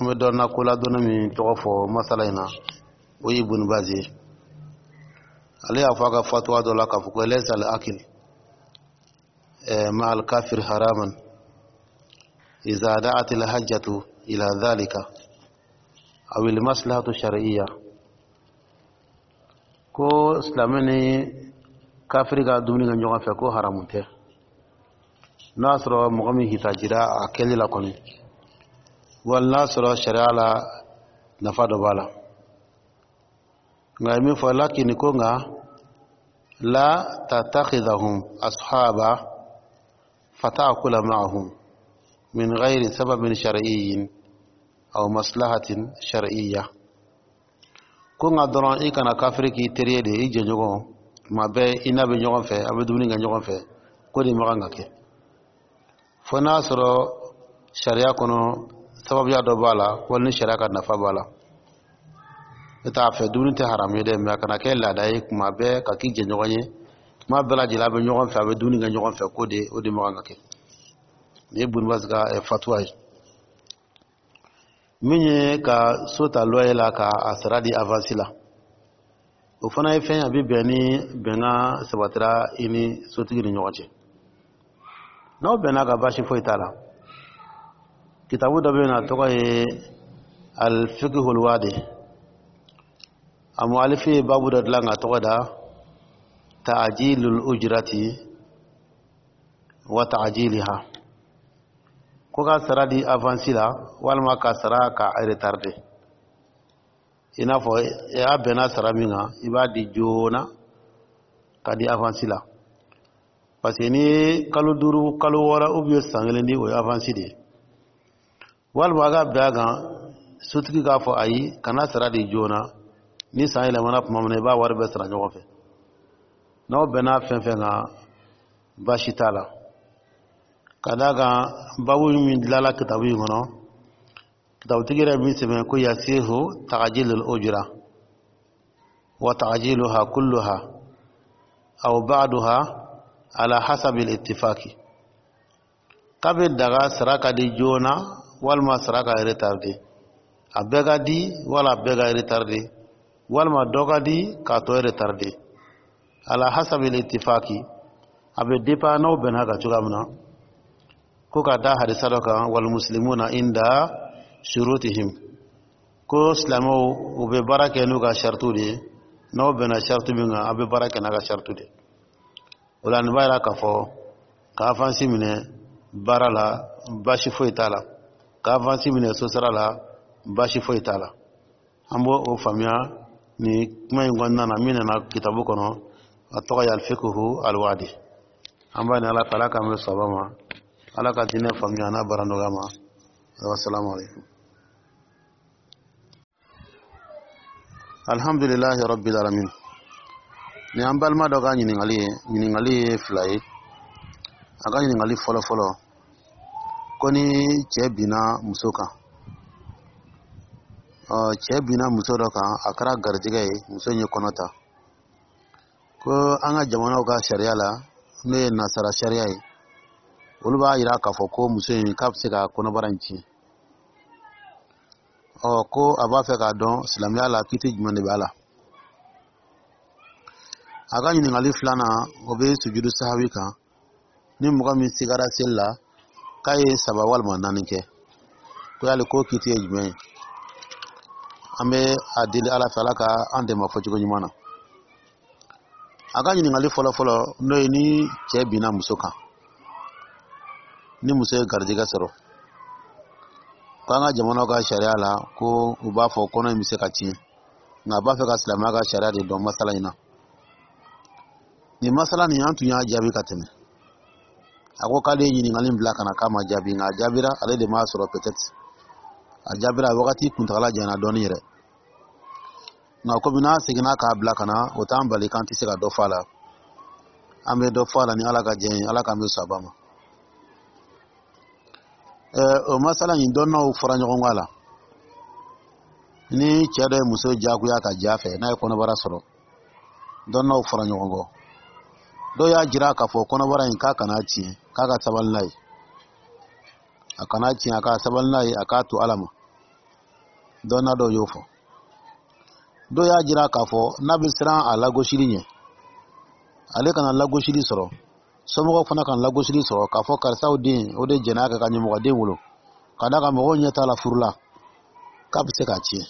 an bɛ dɔnna ko ladɔnna min tɔgɔ fɔ masala in na, o ye Ibunu Bazi ye. Ale y'a fɔ a ka fatuwa dɔ la k'a fɔ ko laysa al akil ma al kafir haraman iza da'at al hajjatu ila dhalika aw al maslahatu shar'iyya. Ko silamɛ ni kafiri ka dumuni kɛ ɲɔgɔn fɛ, ko haramu tɛ, n'a y'a sɔrɔ mɔgɔ min hitajira a kɛli la kɔni, wali n'a sɔrɔ sariya la nafa dɔ b'a la. Nka ye min fɔ, lakini ko nka la tattakhidhahum ashaba fata'kula ma'ahum min ghairi sababin shar'iyyin aw maslahatin shar'iyya. Ko nka dɔrɔn, i kana kafiri k'i teri ye de, i jɛɲɔgɔn, tuma bɛɛ i n'a bɛ ɲɔgɔn fɛ, a bɛ dumuni kɛ ɲɔgɔn fɛ, ko de ma kan ka kɛ, fo n'a sɔrɔ sariya kɔnɔ sababuya dɔ b'a la, wali ni sariya ka nafa b'a la. Ne t'a fɛ dumuni tɛ haramu ye dɛ, mɛ a kana kɛ laada ye, kuma bɛɛ ka k'i jɛɲɔgɔn ye, kuma bɛɛ lajɛlen a bɛ ɲɔgɔn fɛ, a bɛ dumuni kɛ ɲɔgɔn fɛ, ko de o de ma kan ka kɛ. Nin ye Ibunu Bazi ka fatuwa ye. Min ye ka so ta loyer la ka a sara di avance la, o fana ye fɛn ye, a bɛ bɛn ni bɛnkan sabatira i ni sotigi ni ɲɔgɔn cɛ. N'aw bɛnna ka, baasi foyi t'a la. Kitabu dɔ bɛ yen nɔ, a tɔgɔ ye Al-Fiqhul Wadi. A mu'alifi ye babu dɔ dilan ka tɔgɔ da ta'jilul ujrati wa ta'jiliha. Ko ka sara di avance la walima ka sara ka retarder, i n'a fɔ i y'a bɛnna sara min kan, i b'a di joona ka di avance la, parce que n'i ye kalo duuru, kalo wɔɔrɔ ou bien san kelen di, o ye avance de ye. Walima a ka bɛn a kan, sotigi k'a fɔ ayi, kana sara di joona, ni san yɛlɛmana tuma min na, i b'a wari bɛɛ sara ɲɔgɔn fɛ. N'aw bɛnna fɛn fɛn kan, baasi t'a la, ka d'a kan babu min dilanla kitabu in kɔnɔ, kitabutigi yɛrɛ min sɛbɛn ko يصح تأجيل الأجرة وتعجيلها كلها أو بعضها على حسب الاتفاق, k'a bɛ daga sara ka di joona walima sara ka retarder, a bɛɛ ka di wala a bɛɛ ka retarder, walima dɔ ka di k'a tɔ retarder, على حسب الاتفاق, a bɛ dépend n'aw bɛnna kan cogoya min na. Ko ka da hadisa dɔ kan, والمسلمون عند شروطهم, ko silamɛw u bɛ baara kɛ n'u ka saritiw de ye. N'aw bɛnna sariti min kan, a bɛ baara kɛ n'a ka sariti de. O la, nin b'a yira k'a fɔ ka avance minɛ baara la, baasi foyi t'a la. Ka avance minɛ sosara la, baasi foyi t'a la. An b'o o faamuya nin kuma in kɔnɔna na min nana kitabu kɔnɔ, a tɔgɔ ye الفقه الواضح. An b'a ni Ala fɛ, Ala k'an bɛ saba ma, Ala ka diinɛ faamuya n'a baara nɔgɔya ma. والسلام عليكم. الحمد لله رب العالمين. Ni an balima dɔ ka ɲininkali ye, ɲininkali ye fila ye. A ka ɲininkali fɔlɔ fɔlɔ, ko ni cɛ binna muso kan, ɔ cɛ binna muso dɔ kan, a kɛra garijɛgɛ ye, muso in ye kɔnɔ ta, ko an ka jamanaw ka sariya la, n'o ye nasara sariya ye, olu b'a yira k'a fɔ ko muso in k'a bɛ se ka kɔnɔbara in tiɲɛ. Ɔ ko a b'a fɛ k'a dɔn silamɛya la, kiti jumɛn de b'a la? A ka ɲininkali filanan, o bɛ sujudu sahawi kan. Ni mɔgɔ min sigara seli la k'a ye saba walima naani kɛ, ko yali ko kiti ye jumɛn ye? An bɛ a deli Ala fɛ, Ala ka an dɛmɛ fɔcogo ɲuman na. A ka ɲininkali fɔlɔ fɔlɔ, n'o ye ni cɛ binna muso kan, ni muso ye garijɛgɛ sɔrɔ, ko an ka jamanaw ka sariya la, ko u b'a fɔ kɔnɔ in bɛ se ka tiɲɛ, nka a b'a fɛ ka silamɛya ka sariya de dɔn masala in na. Nin masala nin, an tun y'a jaabi ka tɛmɛ. A ko k'ale ye ɲininkali bila ka na k'a ma jaabi, nka a jaabira, ale de m'a sɔrɔ. Peut-être a jaabira a wagati kuntagala janyana dɔɔnin yɛrɛ, nka komi n'a seginna k'a bila ka na, o t'an bali k'an tɛ se ka dɔ fɔ a la. An bɛ dɔ fɔ a la ni Ala ka jɛ ye. Ala k'an bɛ saba ma. O masala in, dɔnnaw fɔra ɲɔgɔn kɔ a la. Ni cɛ dɔ ye muso diyagoya ka ja fɛ, n'a ye kɔnɔbara sɔrɔ, dɔnnaw fɔra ɲɔgɔn kɔ. Dɔw y'a jira k'a fɔ kɔnɔbara in, k'a kana tiɲɛ, k'a ka sabali n'a ye, a kana tiɲɛ, a ka sabali n'a ye, a k'a to Ala ma. Dɔnna dɔw y'o fɔ. Dɔw y'a jira k'a fɔ n'a bɛ siran a lagosili ɲɛ, ale kana lagosili sɔrɔ, somɔgɔw fana kana lagosili sɔrɔ, k'a fɔ karisaw den o de jɛn'a kɛ ka ɲɛmɔgɔden wolo, ka d'a kan mɔgɔw ɲɛ t'a la furu la, k'a bɛ se k'a tiɲɛ.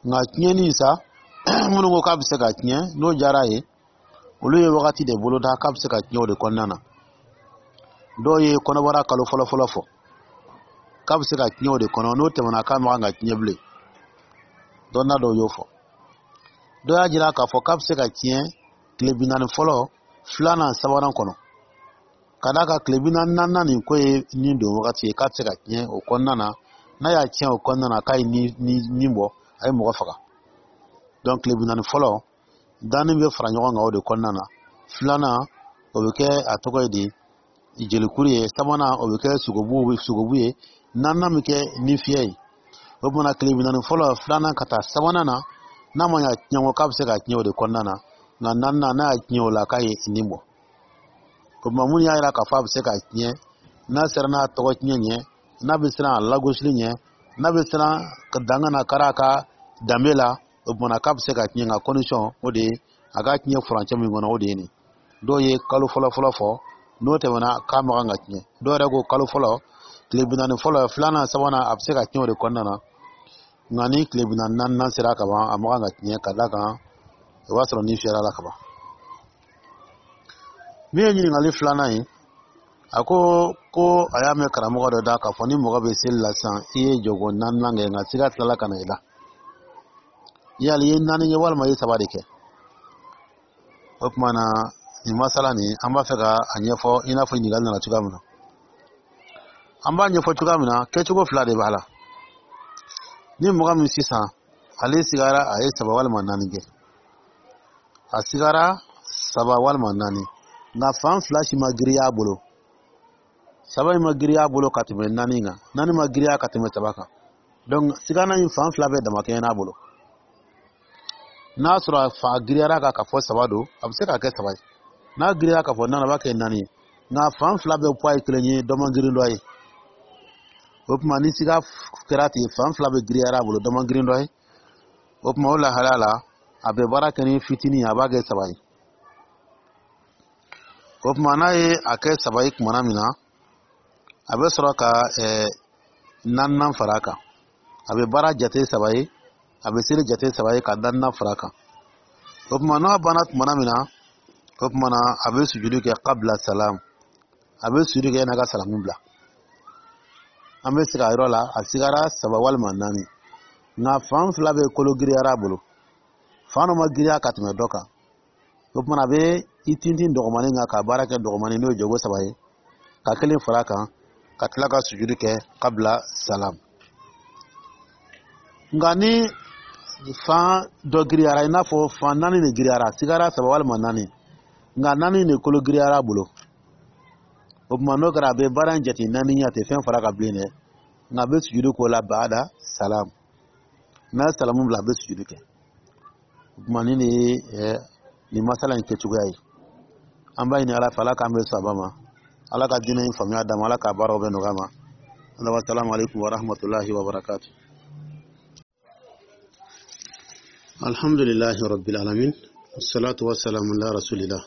Nka tiɲɛni sa, minnu ko k'a bɛ se ka tiɲɛ, n'o diyara ye, olu ye wagati de boloda k'a bɛ se ka tiɲɛ o de kɔnɔna na. Dɔw ye kɔnɔbara kalo fɔlɔ fɔlɔ fɔ k'a bɛ se ka tiɲɛ o de kɔnɔ, n'o tɛmɛna k'a man kan ka tiɲɛ bilen. Dɔnna dɔw y'o fɔ. Dɔw y'a jira k'a fɔ k'a bɛ se ka tiɲɛ tile bi naani fɔlɔ, filanan, sabanan kɔnɔ, ka d'a kan tile bi naani naaninan nin ko ye nin don wagati ye, k'a bɛ se ka tiɲɛ o kɔnɔna na. N'a y'a tiɲɛ o kɔnɔna na, k'a ye ni ni ni bɔ, a ye mɔgɔ faga. Donc tile bi naani fɔlɔ danni bɛ fara ɲɔgɔn kan o de kɔnɔna na, filanan o bɛ kɛ a tɔgɔ ye di jelikuru ye, sabanan o bɛ kɛ sogobu sogobu ye, naaninan bɛ kɛ ni fiyɛ ye. O kumana tile bi naani fɔlɔ, filanan ka taa sabanan na, n'a ma ɲɛ tiɲɛ kɔ, k'a bɛ se ka tiɲɛ o de kɔnɔna na. Nka naaninan, n'a y'a tiɲɛ o la, k'a ye nin bɔ. O tuma, mun y'a jira k'a fɔ a bɛ se ka tiɲɛ? N'a sera n'a tɔgɔ tiɲɛ ɲɛ, n'a bɛ siran a lagosili ɲɛ, n'a bɛ siran ka dan kana kari a ka danbe la, o kumana k'a bɛ se ka tiɲɛ. Nka condition, o de ye a ka tiɲɛ furancɛ min kɔnɔ, o de ye nin. Dɔw ye kalo fɔlɔ fɔlɔ fɔ, n'o tɛmɛna k'a ma kan ka tiɲɛ. Dɔw yɛrɛ ko kalo fɔlɔ, tile bi naani fɔlɔ, filanan, sabanan, a bɛ se ka tiɲɛ o de kɔnɔna na. Nka ni tile bi naani naaninan sera ka ban, a ma kan ka tiɲɛ, ka d'a kan o b'a sɔrɔ ni fiyɛra la ka ban. Min ye ɲininkali filanan ye, A ko ko a y'a mɛn karamɔgɔ dɔ da k'a fɔ ni mɔgɔ bɛ seli la sisan, i ye jɔgo naaninan kɛ, nka siga tilala ka na i la, yali i ye naani kɛ walima i ye saba de kɛ? O tuma na, nin masala nin, an b'a fɛ ka a ɲɛfɔ i n'a fɔ ɲininkali nana cogoya min na. An b'a ɲɛfɔ cogoya min na, kɛcogo fila de b'a la. Ni mɔgɔ min sisan ale sigara, a ye saba walima naani kɛ, a sigara saba walima naani, nka fan fila si ma girinya a bolo, saba in ma girinya a bolo ka tɛmɛ naani kan, naani ma girinya ka tɛmɛ saba kan, donc sigana in fan fila bɛɛ damakɛɲɛ n'a bolo. N'a sɔrɔ a fa giriyara kan ka fɔ saba don, a bɛ se ka kɛ saba ye. N'a girinya ka fɔ naani, a b'a kɛ naani ye. Nka fan fila bɛɛ poids ye kelen ye, dɔ man girin dɔ ye. O tuma, ni siga kɛra ten, fan fila bɛ giriyara a bolo, dɔ man girin dɔ ye, o tuma, o lahalaya la, a bɛ baara kɛ ni fitinin ye, a b'a kɛ saba ye. O tuma, n'a ye a kɛ saba ye kumana min na, a bɛ sɔrɔ ka ɛɛ naaninan fara a kan. A bɛ baara jate saba ye, a bɛ seli jate saba ye ka naaninan fara a kan. O tuma, n'a banna tumana min na, o tuma na, a bɛ sujudu kɛ qabla salam, a bɛ sujudu kɛ n'a ka salamu bila. An bɛ segin a yɔrɔ la: a sigara saba walima naani, nka fan fila bɛ kolo giriyara a bolo, fan dɔ ma giriya ka tɛmɛ dɔ kan. O tuma, a bɛ i tintin dɔgɔmanin kan ka baara kɛ dɔgɔmanin, n'o ye jogo saba ye, ka kelen fara a kan, ka tila ka sujudu kɛ qabla salam. Nka ni fan dɔ giriyara, i n'a fɔ fan naani de giriyara, sigara saba walima naani, nka naani de kolo giriyara a bolo, o tuma, n'o kɛra, a bɛ baara in jate naani ye, a tɛ fɛn fara ka bilen dɛ, nka a bɛ sujudu k'o la baada salam. N'a ye salamu bila, a bɛ sujudu kɛ. O tuma, nin de ye nin masala in kɛcogoya ye. An b'a ɲini Ala fɛ, Ala k'an bɛ saba ma, Ala ka diinɛ in faamuya d'a ma, Ala k'a baaraw bɛɛ nɔgɔya ma. Salamu alaikum wa rahmatullahi wa barakatuh. Alhamdulillahi rabbil alamin, wassalatu wassalamu ala rasulillah.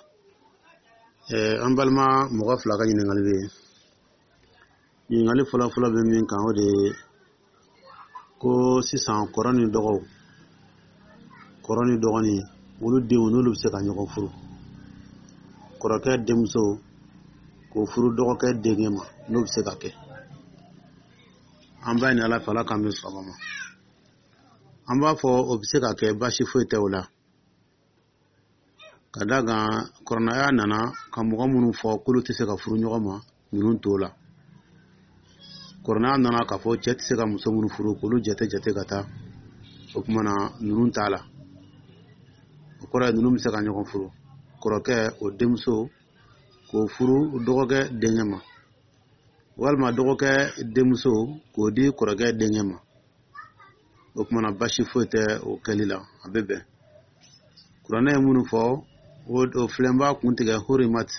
An balima mɔgɔ fila ka ɲininkali bɛ yen. Ɲininkali fɔlɔ fɔlɔ bɛ min kan, o de ye ko sisan kɔrɔ ni dɔgɔw, kɔrɔ ni dɔgɔnin, olu denw, n'olu bɛ se ka ɲɔgɔn furu, kɔrɔkɛ denmuso k'o furu dɔgɔkɛ denkɛ ma, n'o bɛ se ka kɛ? An b'a ɲini Ala fɛ, Ala k'an bɛ sɔn ma. An b'a fɔ o bɛ se ka kɛ, baasi foyi tɛ o la, ka da kan kɔrɔnaya nana ka mɔgɔ minnu fɔ k'olu tɛ se ka furu ɲɔgɔn ma, ninnu t'o la. Kɔrɔnaya nana k'a fɔ cɛ tɛ se ka muso minnu furu, k'olu jate jate ka taa, o tuma na, ninnu t'a la. O kɔrɔ ye, ninnu bɛ se ka ɲɔgɔn furu, kɔrɔkɛ o denmuso k'o furu dɔgɔkɛ denkɛ ma, walima dɔgɔkɛ denmuso k'o di kɔrɔkɛ denkɛ ma. O tuma na, basi foyi tɛ o kɛli la, a bɛ bɛn. Kuranɛ ye minnu fɔ, o filɛ, n b'a kun tigɛ: hurimat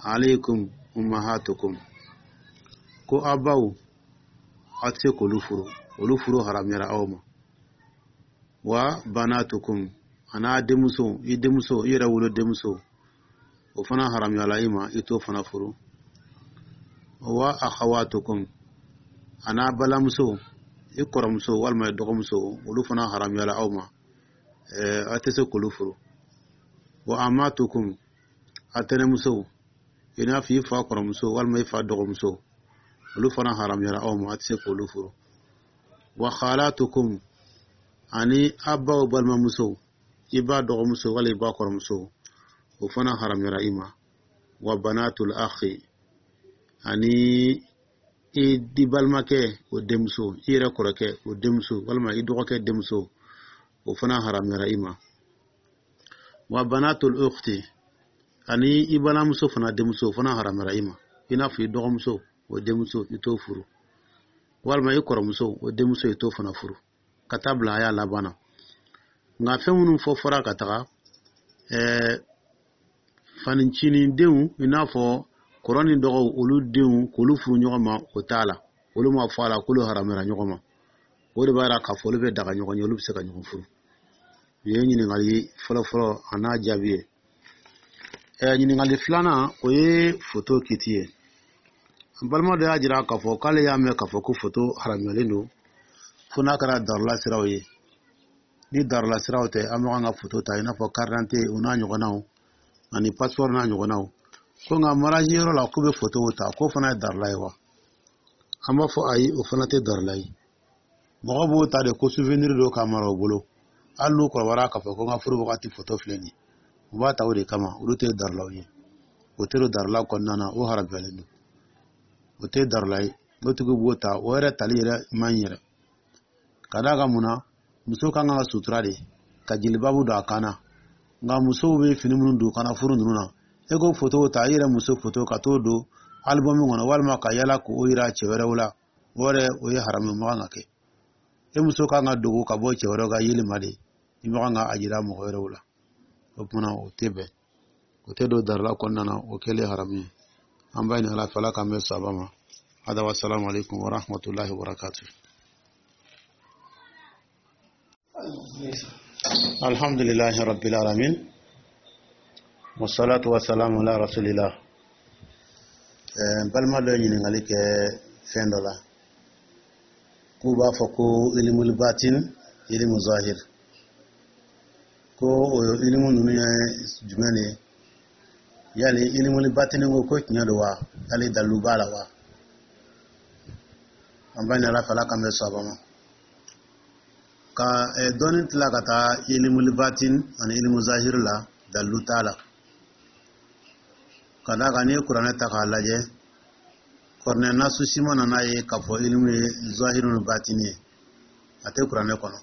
alaykum ummahatukum, ko aw baw, aw tɛ se k'olu furu, olu furu haramuyara aw ma. Wa banatukum, a n'a denmuso, i denmuso, i yɛrɛ wolo denmuso, o fana haramuyala i ma, i t'o fana furu. Wa akhawatukum, a n'a balimamuso, i kɔrɔmuso walima i dɔgɔmuso, olu fana haramuyala aw ma, aw tɛ se k'olu furu. Wa amatukum, a tɛnɛmuso, i n'a fɔ i fa kɔrɔmuso walima i fa dɔgɔmuso, olu fana haramuyala aw ma, a tɛ se k'olu furu. Wa khalatukum, ani aw baw balimamuso, i ba dɔgɔmuso wala i ba kɔrɔmuso, o fana haramuyara i ma. Wa banatul akhi, ani i di balimakɛ o denmuso, i yɛrɛ kɔrɔkɛ o denmuso walima i dɔgɔkɛ denmuso, o fana haramuyara i ma. Wa banatul ukhti, ani i balimamuso fana denmuso, o fana haramuyara i ma, i n'a fɔ i dɔgɔmuso o denmuso, i t'o furu, walima i kɔrɔmuso o denmuso, i t'o fana furu, ka taa bila a y'a laban na. Nka fɛn minnu fɔ fɔra ka taga, ɛɛ fanicinin denw, i n'a fɔ kɔrɔ ni dɔgɔw, olu denw, k'olu furu ɲɔgɔn ma, o t'a la. Olu ma fɔ a la k'olu haramuyara ɲɔgɔn ma. O de b'a yira k'a fɔ olu bɛ daga ɲɔgɔn ye, olu bɛ se ka ɲɔgɔn furu. Nin ye ɲininkali fɔlɔ-fɔlɔ, a n'a jaabi ye. Ɛ ɲininkali filanan, o ye foto kiti ye. An balima dɔ y'a jira k'a fɔ k'ale y'a mɛn k'a fɔ ko foto haramuyalen don fo n'a kɛra darula siraw ye. Ni darula siraw tɛ, an bɛ kan ka foto ta, i n'a fɔ carte d'identité o n'a ɲɔgɔnnaw, ani passeport n'a ɲɔgɔnnaw. Ko nka mariage yɔrɔ la, k'u bɛ fotow ta, k'o fana ye darila ye wa? An b'a fɔ ayi, o fana tɛ darila ye. Mɔgɔ b'o ta de ko souvenir don k'a mara u bolo. Hali n'u kɔrɔbayara, k'a fɔ ko n ka furu wagati foto filɛ nin ye, u b'a ta o de kama. Olu tɛ darilaw ye, o tɛ don darila kɔnɔna na, o harabiyalen don, o tɛ darila ye. O tigi b'o ta, o yɛrɛ tali yɛrɛ man ɲi yɛrɛ. Ka d'a kan mun na? Muso kan ka sutura de ka jelibabu don a kan na. Nka musow bɛ fini minnu don kana furu ninnu na, e ko foto ta, i yɛrɛ muso foto ka t'o don album kɔnɔ, walima ka yala k'o yira cɛ wɛrɛw la, o yɛrɛ o ye haramu, man kan ka kɛ. E muso kan ka dogo ka bɔ cɛ wɛrɛw ka yeli ma de, i man kan ka a jira mɔgɔ wɛrɛw la. O kumana o tɛ bɛn, o tɛ don darila kɔnɔna na, o kɛlen haramu ye. An b'a ɲini Ala fɛ, Ala k'an bɛn sababa ma. Hada wa salamu alaikum wa rahmatullahi wa barakatuh. Alhamdulillahi rabbil alamin, wassalatu wassalamu ala rasulillah. N balima dɔ ye ɲininkali kɛ fɛn dɔ la, k'u b'a fɔ ko ilimul batin, ilimu zahir, ko o ilimu ninnu ye jumɛn de ye? Yali ilimul batini ko ko tiɲɛ don wa? Yali dalilu b'a la wa? An b'a ɲini Ala fɛ, Ala k'an bɛn sababa ma. Ka dɔɔni tila ka taa ilimul batin ani ilimu zahir la, dalilu t'a la. Ka d'a kan n'i ye Kuranɛ ta k'a lajɛ, kuranɛ nasu si ma nana ye k'a fɔ ilimu ye zahiru ni batini ye, a tɛ kuranɛ kɔnɔ.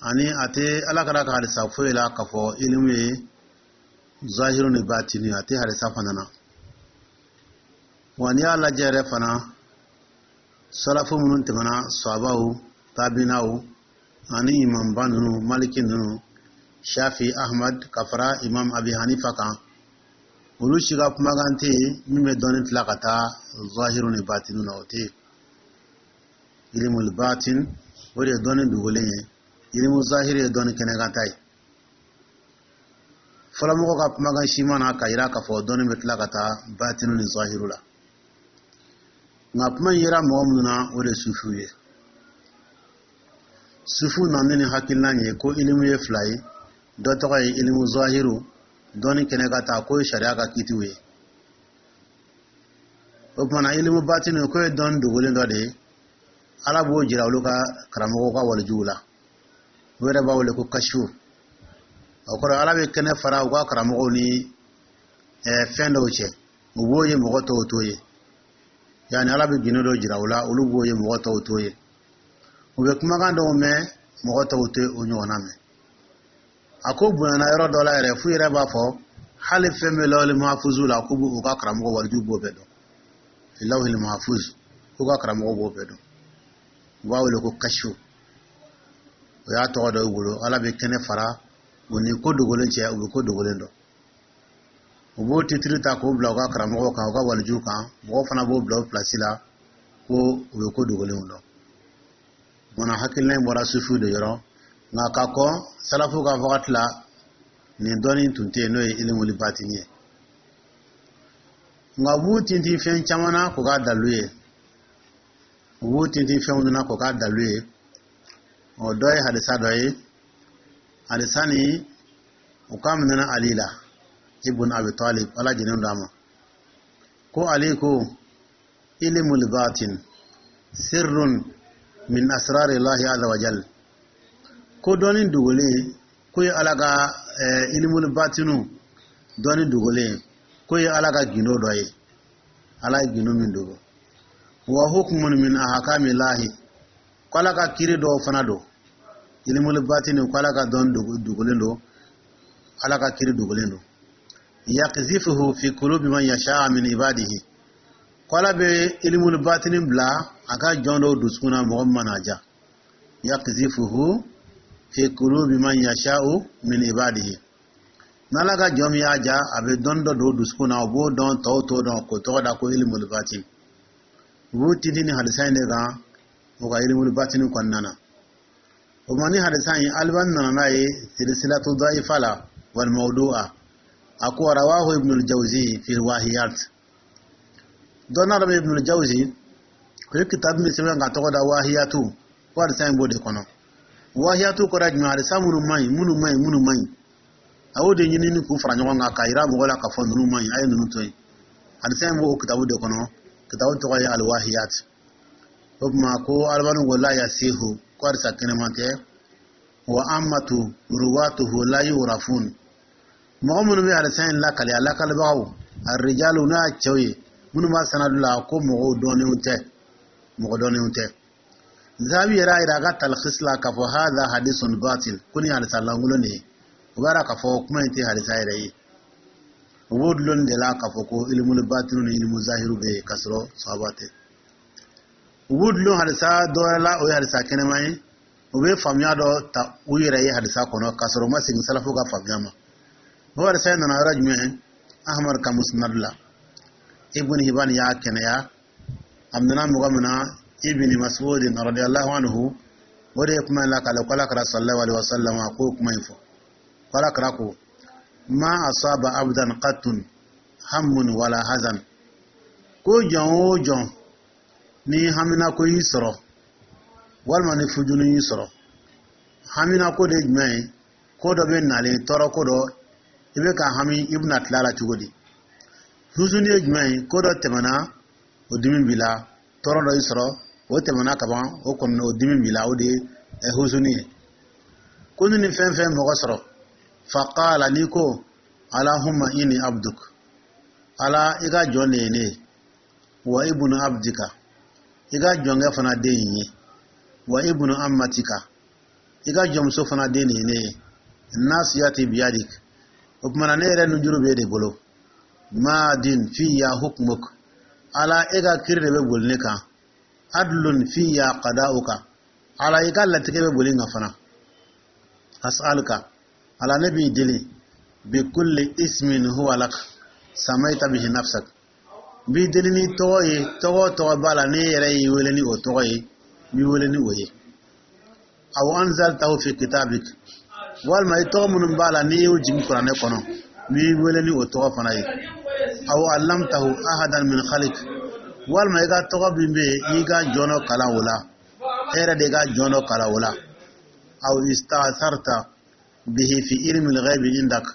Ani a tɛ Ala kɛra ka hadisa foyi la k'a fɔ ilimu ye zahiru ni batini, a tɛ hadisa fana na. Wa n'i y'a lajɛ yɛrɛ fana, salafu minnu tɛmɛna, sahabaw, tabinaw ani imamba ninnu, Maliki ninnu, Shafi, Ahmad, ka fara Imam Abi Hanifa kan, olu si ka kumakan tɛ yen min bɛ dɔɔni tila ka taa zahiru ni batinu na, o tɛ yen. Ilimul batin, o de ye dɔɔni dogolen ye. Ilimu zahiri ye dɔɔni kɛnɛkanta ye. Fɔlɔmɔgɔw ka kumakan si ma na ka yira k'a fɔ dɔɔni bɛ tila ka taa batinu ni zahiru la. Nka kuma in yera mɔgɔ minnu na, o de ye sufiw ye. Sufiw nana ni hakilina ye ko ilimu ye fila ye: dɔ tɔgɔ ye ilimu zahiru, dɔɔni kɛnɛ ka taa, k'o ye sariya ka kitiw ye. O kumana ilimu batinu, k'o ye dɔɔni dogolen dɔ de ye, Ala b'o jira olu ka karamɔgɔw ka walijuw la. U yɛrɛ b'a wele ko kasiw. O kɔrɔ, Ala bɛ kɛnɛ fara u ka karamɔgɔw ni fɛn dɔw cɛ, u b'o ye, mɔgɔ tɔw t'o ye. Yani Ala bɛ gindo dɔ jira u la, olu b'o ye, mɔgɔ tɔw t'o ye. U bɛ kumakan dɔw mɛn, mɔgɔ tɔw tɛ o ɲɔgɔnna mɛn. A ko bonyana yɔrɔ dɔ la yɛrɛ, f'u yɛrɛ b'a fɔ hali fɛn bɛ lawhil mahfuzu la, k'u b'u ka karamɔgɔ walijuw b'o bɛɛ dɔn. Lawhil mahfuz, k'u ka karamɔgɔ b'o bɛɛ dɔn. U b'a wele ko kasiw, o y'a tɔgɔ dɔ y'u bolo. Ala bɛ kɛnɛ fara u ni ko dogolen cɛ, u bɛ ko dogolen dɔn. U b'o titiri ta k'o bila u ka karamɔgɔw kan, u ka walijuw kan. Mɔgɔw fana b'o bila o pilasi la ko u bɛ ko dogolenw dɔn. Munna hakilina in bɔra sufiw de yɔrɔ? Nka ka kɔn salafu ka wagati la, nin dɔnni tun tɛ yen, n'o ye ilimuli batini ye. Nka u b'u tintin fɛn caman na k'o k'a dalu ye, u b'u tintin fɛnw na k'o k'a dalu ye. O dɔ ye hadisa dɔ ye. Hadisa nin, u k'a minɛna Ali la, ibn Abi Talib, Ala jɛnen don a ma, ko Ali ko: ilimul batin sirrun min asrari Allahi azza wa jal. Ko dɔnni dogolen, ko ye Ala ka ilimul batinu, dɔnni dogolen, ko ye Ala ka gindo dɔ ye, Ala ye gindo min dogo. Wa hukmun min ahkami Llahi, ko Ala ka kiri dɔw fana don. Ilimul batini, ko Ala ka dɔnni dogolen don, Ala ka kiri dogolen don. Yakzifuhu fi qulubi man yasha min ibadihi, ko Ala bɛ ilimul batini bila a ka jɔn dɔw dusukun na, mɔgɔ min mana ja. Yakzifuhu fi qulubi man yasha'u min ibadihi, n'Ala ka jɔn min y'a ja, a bɛ dɔnni dɔ don dusukun na, o b'o dɔn, tɔw t'o dɔn, k'o tɔgɔ da ko ilimul batin. U b'u tintin ni hadisa in de kan o ka ilimul batini kɔnɔna na. O ma ni hadisa in, Albani nana n'a ye silsilatu da'ifa la wal mawdu'a. A ko rawahu Ibn al-Jawzi fi wahiyat. Dɔnna dɔ bɛ, Ibn al-Jawzi, o ye kitabu min sɛbɛn ka tɔgɔ da wahiyatu, ko hadisa in b'o de kɔnɔ. Wahiyatu kɔrɔ ye jumɛn? Hadisa minnu man ɲi, minnu man ɲi, minnu man ɲi. A y'o de ɲini ni k'u fara ɲɔgɔn kan k'a yira mɔgɔw la k'a fɔ ninnu man ɲi, a ye ninnu to yen. Hadisa in b'o kitabu de kɔnɔ, kitabu tɔgɔ ye Alwahiyat. O tuma ko Alibani ko la yasihu, ko hadisa kɛnɛman tɛ. Wa amatu ruwatuhu la yurafun, mɔgɔ minnu bɛ hadisa in lakale, a lakalibagaw, arijalu, n'o y'a cɛw ye minnu b'a sanadu la, ko mɔgɔw dɔnnenw tɛ, mɔgɔ dɔnnenw tɛ. Zahabi yɛrɛ y'a yira a ka talkhis la k'a fɔ hadha hadisun batil, ko nin hadisa lankolon de ye. O b'a yira k'a fɔ kuma in tɛ hadisa yɛrɛ ye. U b'o dulon de la k'a fɔ ko ilimul batinu ni ilimu zahiru bɛ yen, k'a sɔrɔ sahaba tɛ. U b'u dulon hadisa dɔ wɛrɛ la, o ye hadisa kɛnɛman ye. U bɛ faamuya dɔ ta u yɛrɛ ye hadisa kɔnɔ, k'a sɔrɔ u ma segin salafu ka faamuya ma. O hadisa in nana yɔrɔ jumɛn? Ahmad ka Musnad la. Ibn Hibban y'a kɛnɛya. A minɛna mɔgɔ min na, Ibn Mas'ud radiyallahu anhu, o de ye kuma in lakale ko Ala kira sallallahu alaihi wasallam a k'o kuma in fɔ, ko Ala kira ko: ma asaba abdan qattun hammun wala hazan, ko jɔn o jɔn ni haminako y'i sɔrɔ walima ni fujunu y'i sɔrɔ. Haminako de ye jumɛn ye? Ko dɔ bɛ nalen, tɔɔrɔ ko dɔ, i bɛ ka hami i bɛna tila la cogo di? Huzuni ye jumɛn ye? Ko dɔ tɛmɛna, o dimi b'i la, tɔɔrɔ dɔ y'i sɔrɔ, o tɛmɛna kaban, o kɔni o dimi b'i la, o de ye huzuni ye. Ko ni nin fɛn fɛn mɔgɔ sɔrɔ, faqala, n'i ko: alahumma inni abduk, Ala, i ka jɔn de ye ne ye, wa ibnu abdika, i ka jɔnkɛ fana den ye, wa ibnu amatika, i ka jɔnmuso fana den de ye ne ye, nasiyati biyadik, o tuma na ne yɛrɛ nujuru b'e de bolo, madin fiya hukmuk, Ala, e ka kiri de bɛ boli ne kan, adlun fiya qada'uka, Ala, i ka latigɛ bɛ boli n kan fana, as'aluka, Ala, ne b'i deli, bi kulli ismin huwa lak samaita bihi nafsak, n b'i deli ni tɔgɔ ye, tɔgɔ tɔgɔ b'a la ne yɛrɛ y'i wele ni o tɔgɔ ye, n b'i wele ni o ye, aw anzaltahu fi kitabik, walima i tɔgɔ minnu b'a la n'i y'o jigin Kuranɛ kɔnɔ, n b'i wele ni o tɔgɔ fana ye, aw allamtahu ahadan min khalik, walima i ka tɔgɔ min bɛ yen i ka jɔn dɔ kalan o la, e yɛrɛ de ka jɔn dɔ kalan o la, aw istatharta bihi fi ilmi al-ghaibi indak,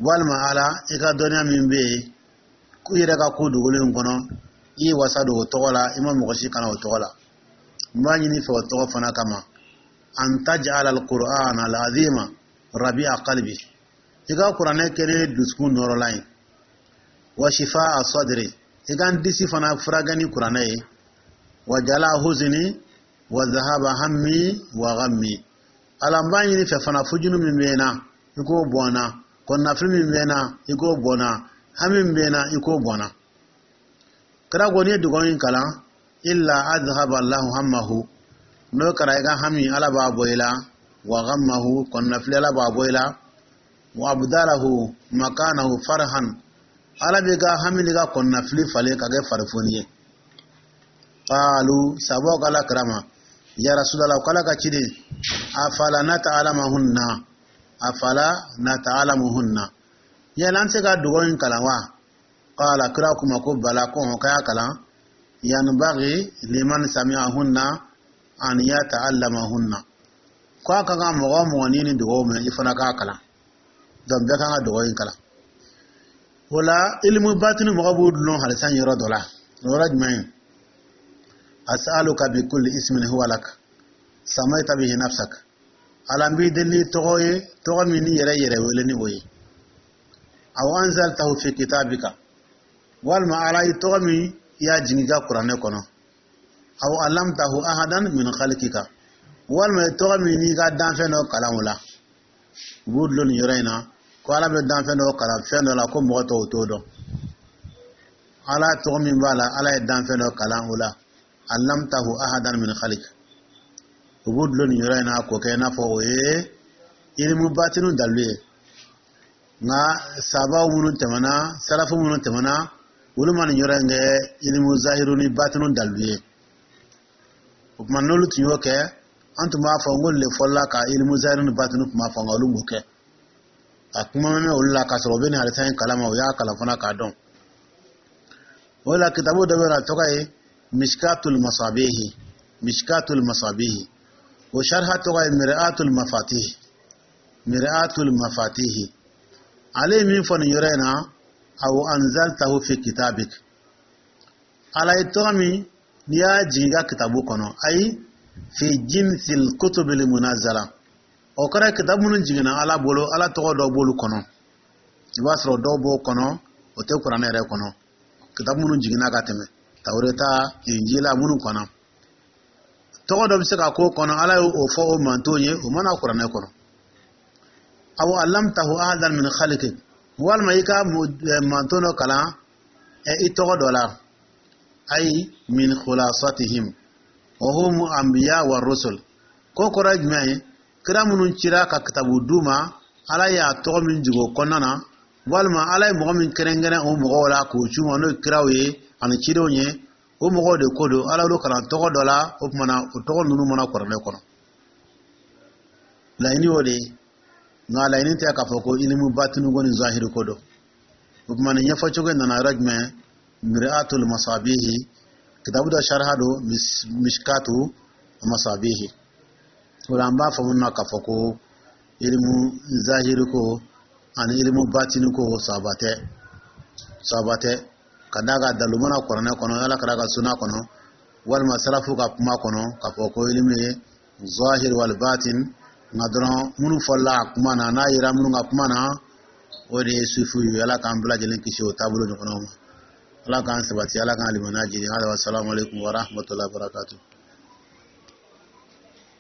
walima Ala, i ka dɔnniya min bɛ yen i yɛrɛ ka ko dogolen kɔnɔ, i ye wasa don o tɔgɔ la, i ma mɔgɔ si kana o tɔgɔ la, n b'a ɲini fɛ o tɔgɔ fana kama, an taj'ala al-Qur'ana al-azima rabi'a qalbi, i ka Kuranɛ kɛ ne dusukun nɔrɔlan ye, wa shifa'a sadri, i ka n disi fana furakɛ ni Kuranɛ ye, wa jala huzni wa zahaba hammi wa ghammi, Ala, n b'a ɲini fɛ fana, fujunu min bɛ n na, i k'o bɔ n na, kɔnɔnafili min bɛ n na, i k'o bɔ n na, hami min bɛ n na, i k'o bɔ n na. Kira ko n'i ye dugawu in kalan, illa adhaba Allahu hammahu, n'o kɛra i ka hami, Ala b'a bɔ i la, wa ghammahu, kɔnɔnafili, Ala b'a bɔ i la, wa abdalahu makanahu farhan, Ala b'i ka hami n'i ka kɔnɔnafili falen ka kɛ farifoni ye. Qalu, sabaw ko Ala kira ma: ya Rasulallah, ko Ala ka ciden, afala nata'alamahunna, afala nata'alamuhunna, yala an tɛ se ka dugawu in kalan wa? Qala, kira kuma ko bala, ko hɔn, k'a y'a kalan, yanbaghi liman sami'ahunna an yata'allamahunna, ko a ka kan mɔgɔ o mɔgɔ n'i ni dugawu mɛn, i fana k'a kalan. Donc bɛɛ kan ka dugawu in kalan. O la ilimu batini, mɔgɔ b'u dulon halisa yɔrɔ dɔ la, o yɔrɔ jumɛn ye? As'aluka bi kulli ismin huwa lak samaita bihi nafsak, Ala, n b'i deli ni tɔgɔ ye, tɔgɔ min n'i yɛrɛ yɛrɛ wele ni o ye, aw anzaltahu fi kitabika, walima Ala, i tɔgɔ min i y'a jigin i ka Kuranɛ kɔnɔ, aw allamtahu ahadan min khalqika, walima i tɔgɔ min n'i ka danfɛn dɔ kalan o la. U b'u dulon nin yɔrɔ in na ko Ala bɛ danfɛn dɔ kalan fɛn dɔ la ko mɔgɔ tɔw t'o dɔn. Ala tɔgɔ min b'a la, Ala ye danfɛn dɔ kalan o la, allamtahu ahadan min khalik, u b'u dulon nin yɔrɔ in na k'o kɛ i n'a fɔ o ye ilimu batinu dalilu ye. Nka sabaw minnu tɛmɛna, salafu minnu tɛmɛna, olu ma nin yɔrɔ in kɛ ilimu zahiru ni batinu dalilu ye. O tuma n'olu tun y'o kɛ, an tun b'a fɔ n ko le fɔlɔla ka ilimu zahiru ni batinu tun b'a fɔ, nka olu m'o kɛ. A kuma mɛn olu la k'a sɔrɔ u bɛ nin hadisa in kalama, u y'a kalan fana k'a dɔn. O la kitabu dɔ bɛ yen, a tɔgɔ ye Mishkatul Masabihi, Mishkatul Masabihi, o sharha tɔgɔ ye Mir'atul Mafatih, Mir'atul Mafatihi. Ale ye min fɔ nin yɔrɔ in na, aw anzaltahu fi kitabik, Ala ye tɔgɔ min n'i y'a jigin i ka kitabu kɔnɔ, ayi fi jinsil kutubil munazala. O kɔrɔ ye kitabu minnu jiginna Ala bolo, Ala tɔgɔ dɔw b'olu kɔnɔ. I b'a sɔrɔ dɔw b'o kɔnɔ, o tɛ Kuranɛ yɛrɛ kɔnɔ. Kitabu minnu jiginna ka tɛmɛ, Tawureta, Injila, minnu kɔnɔ, tɔgɔ dɔ bɛ se ka k'o kɔnɔ, Ala y'o fɔ o mantonw ye, o mana Kuranɛ kɔnɔ. Aw allamtahu ahadan min khalqik, walima i ka manton dɔ kalan i tɔgɔ dɔ la, ayi min khulasatihim wa hum anbiya wa rusul. Ko kɔrɔ ye jumɛn ye? Kira minnu cira ka kitabu d'u ma, Ala y'a tɔgɔ min jigin o kɔnɔna na, walima Ala ye mɔgɔ min kɛrɛnkɛrɛn o mɔgɔw la k'o c'u ma, n'o ye kiraw ye ani cidenw ye, o mɔgɔw de ko don. Ala y'olu kalan tɔgɔ dɔ la, o tuma na o tɔgɔ ninnu mana Kuranɛ kɔnɔ. Laɲini y'o de ye, nka laɲini tɛ k'a fɔ ko ilimu batini ko ni zahiri ko don. O tuma nin ɲɛfɔcogo nana yɔrɔ jumɛn? Miri'atul Masabihi, kitabu dɔ sharha don, Mishkatu Masabihi. O la an b'a faamu na k'a fɔ ko ilimu zahiri ko ani ilimu batini ko saba tɛ, saba tɛ, ka d'a kan dalu mana Kuranɛ kɔnɔ, Ala kɛra ka suna kɔnɔ, walima salafu ka kuma kɔnɔ, k'a fɔ ko ilimu ye zahir wal batin. Nka dɔrɔn minnu fɔla a kuma na, n'a yera minnu ka kuma na, o de ye sufu ye. Ala k'an bɛɛ lajɛlen kisi o taabolo ɲɔgɔnnaw ma. Ala k'an sabati, Ala k'an limaniya jigin. Hali wa salamu aleykum wa rahmatulahi wa barakatuh.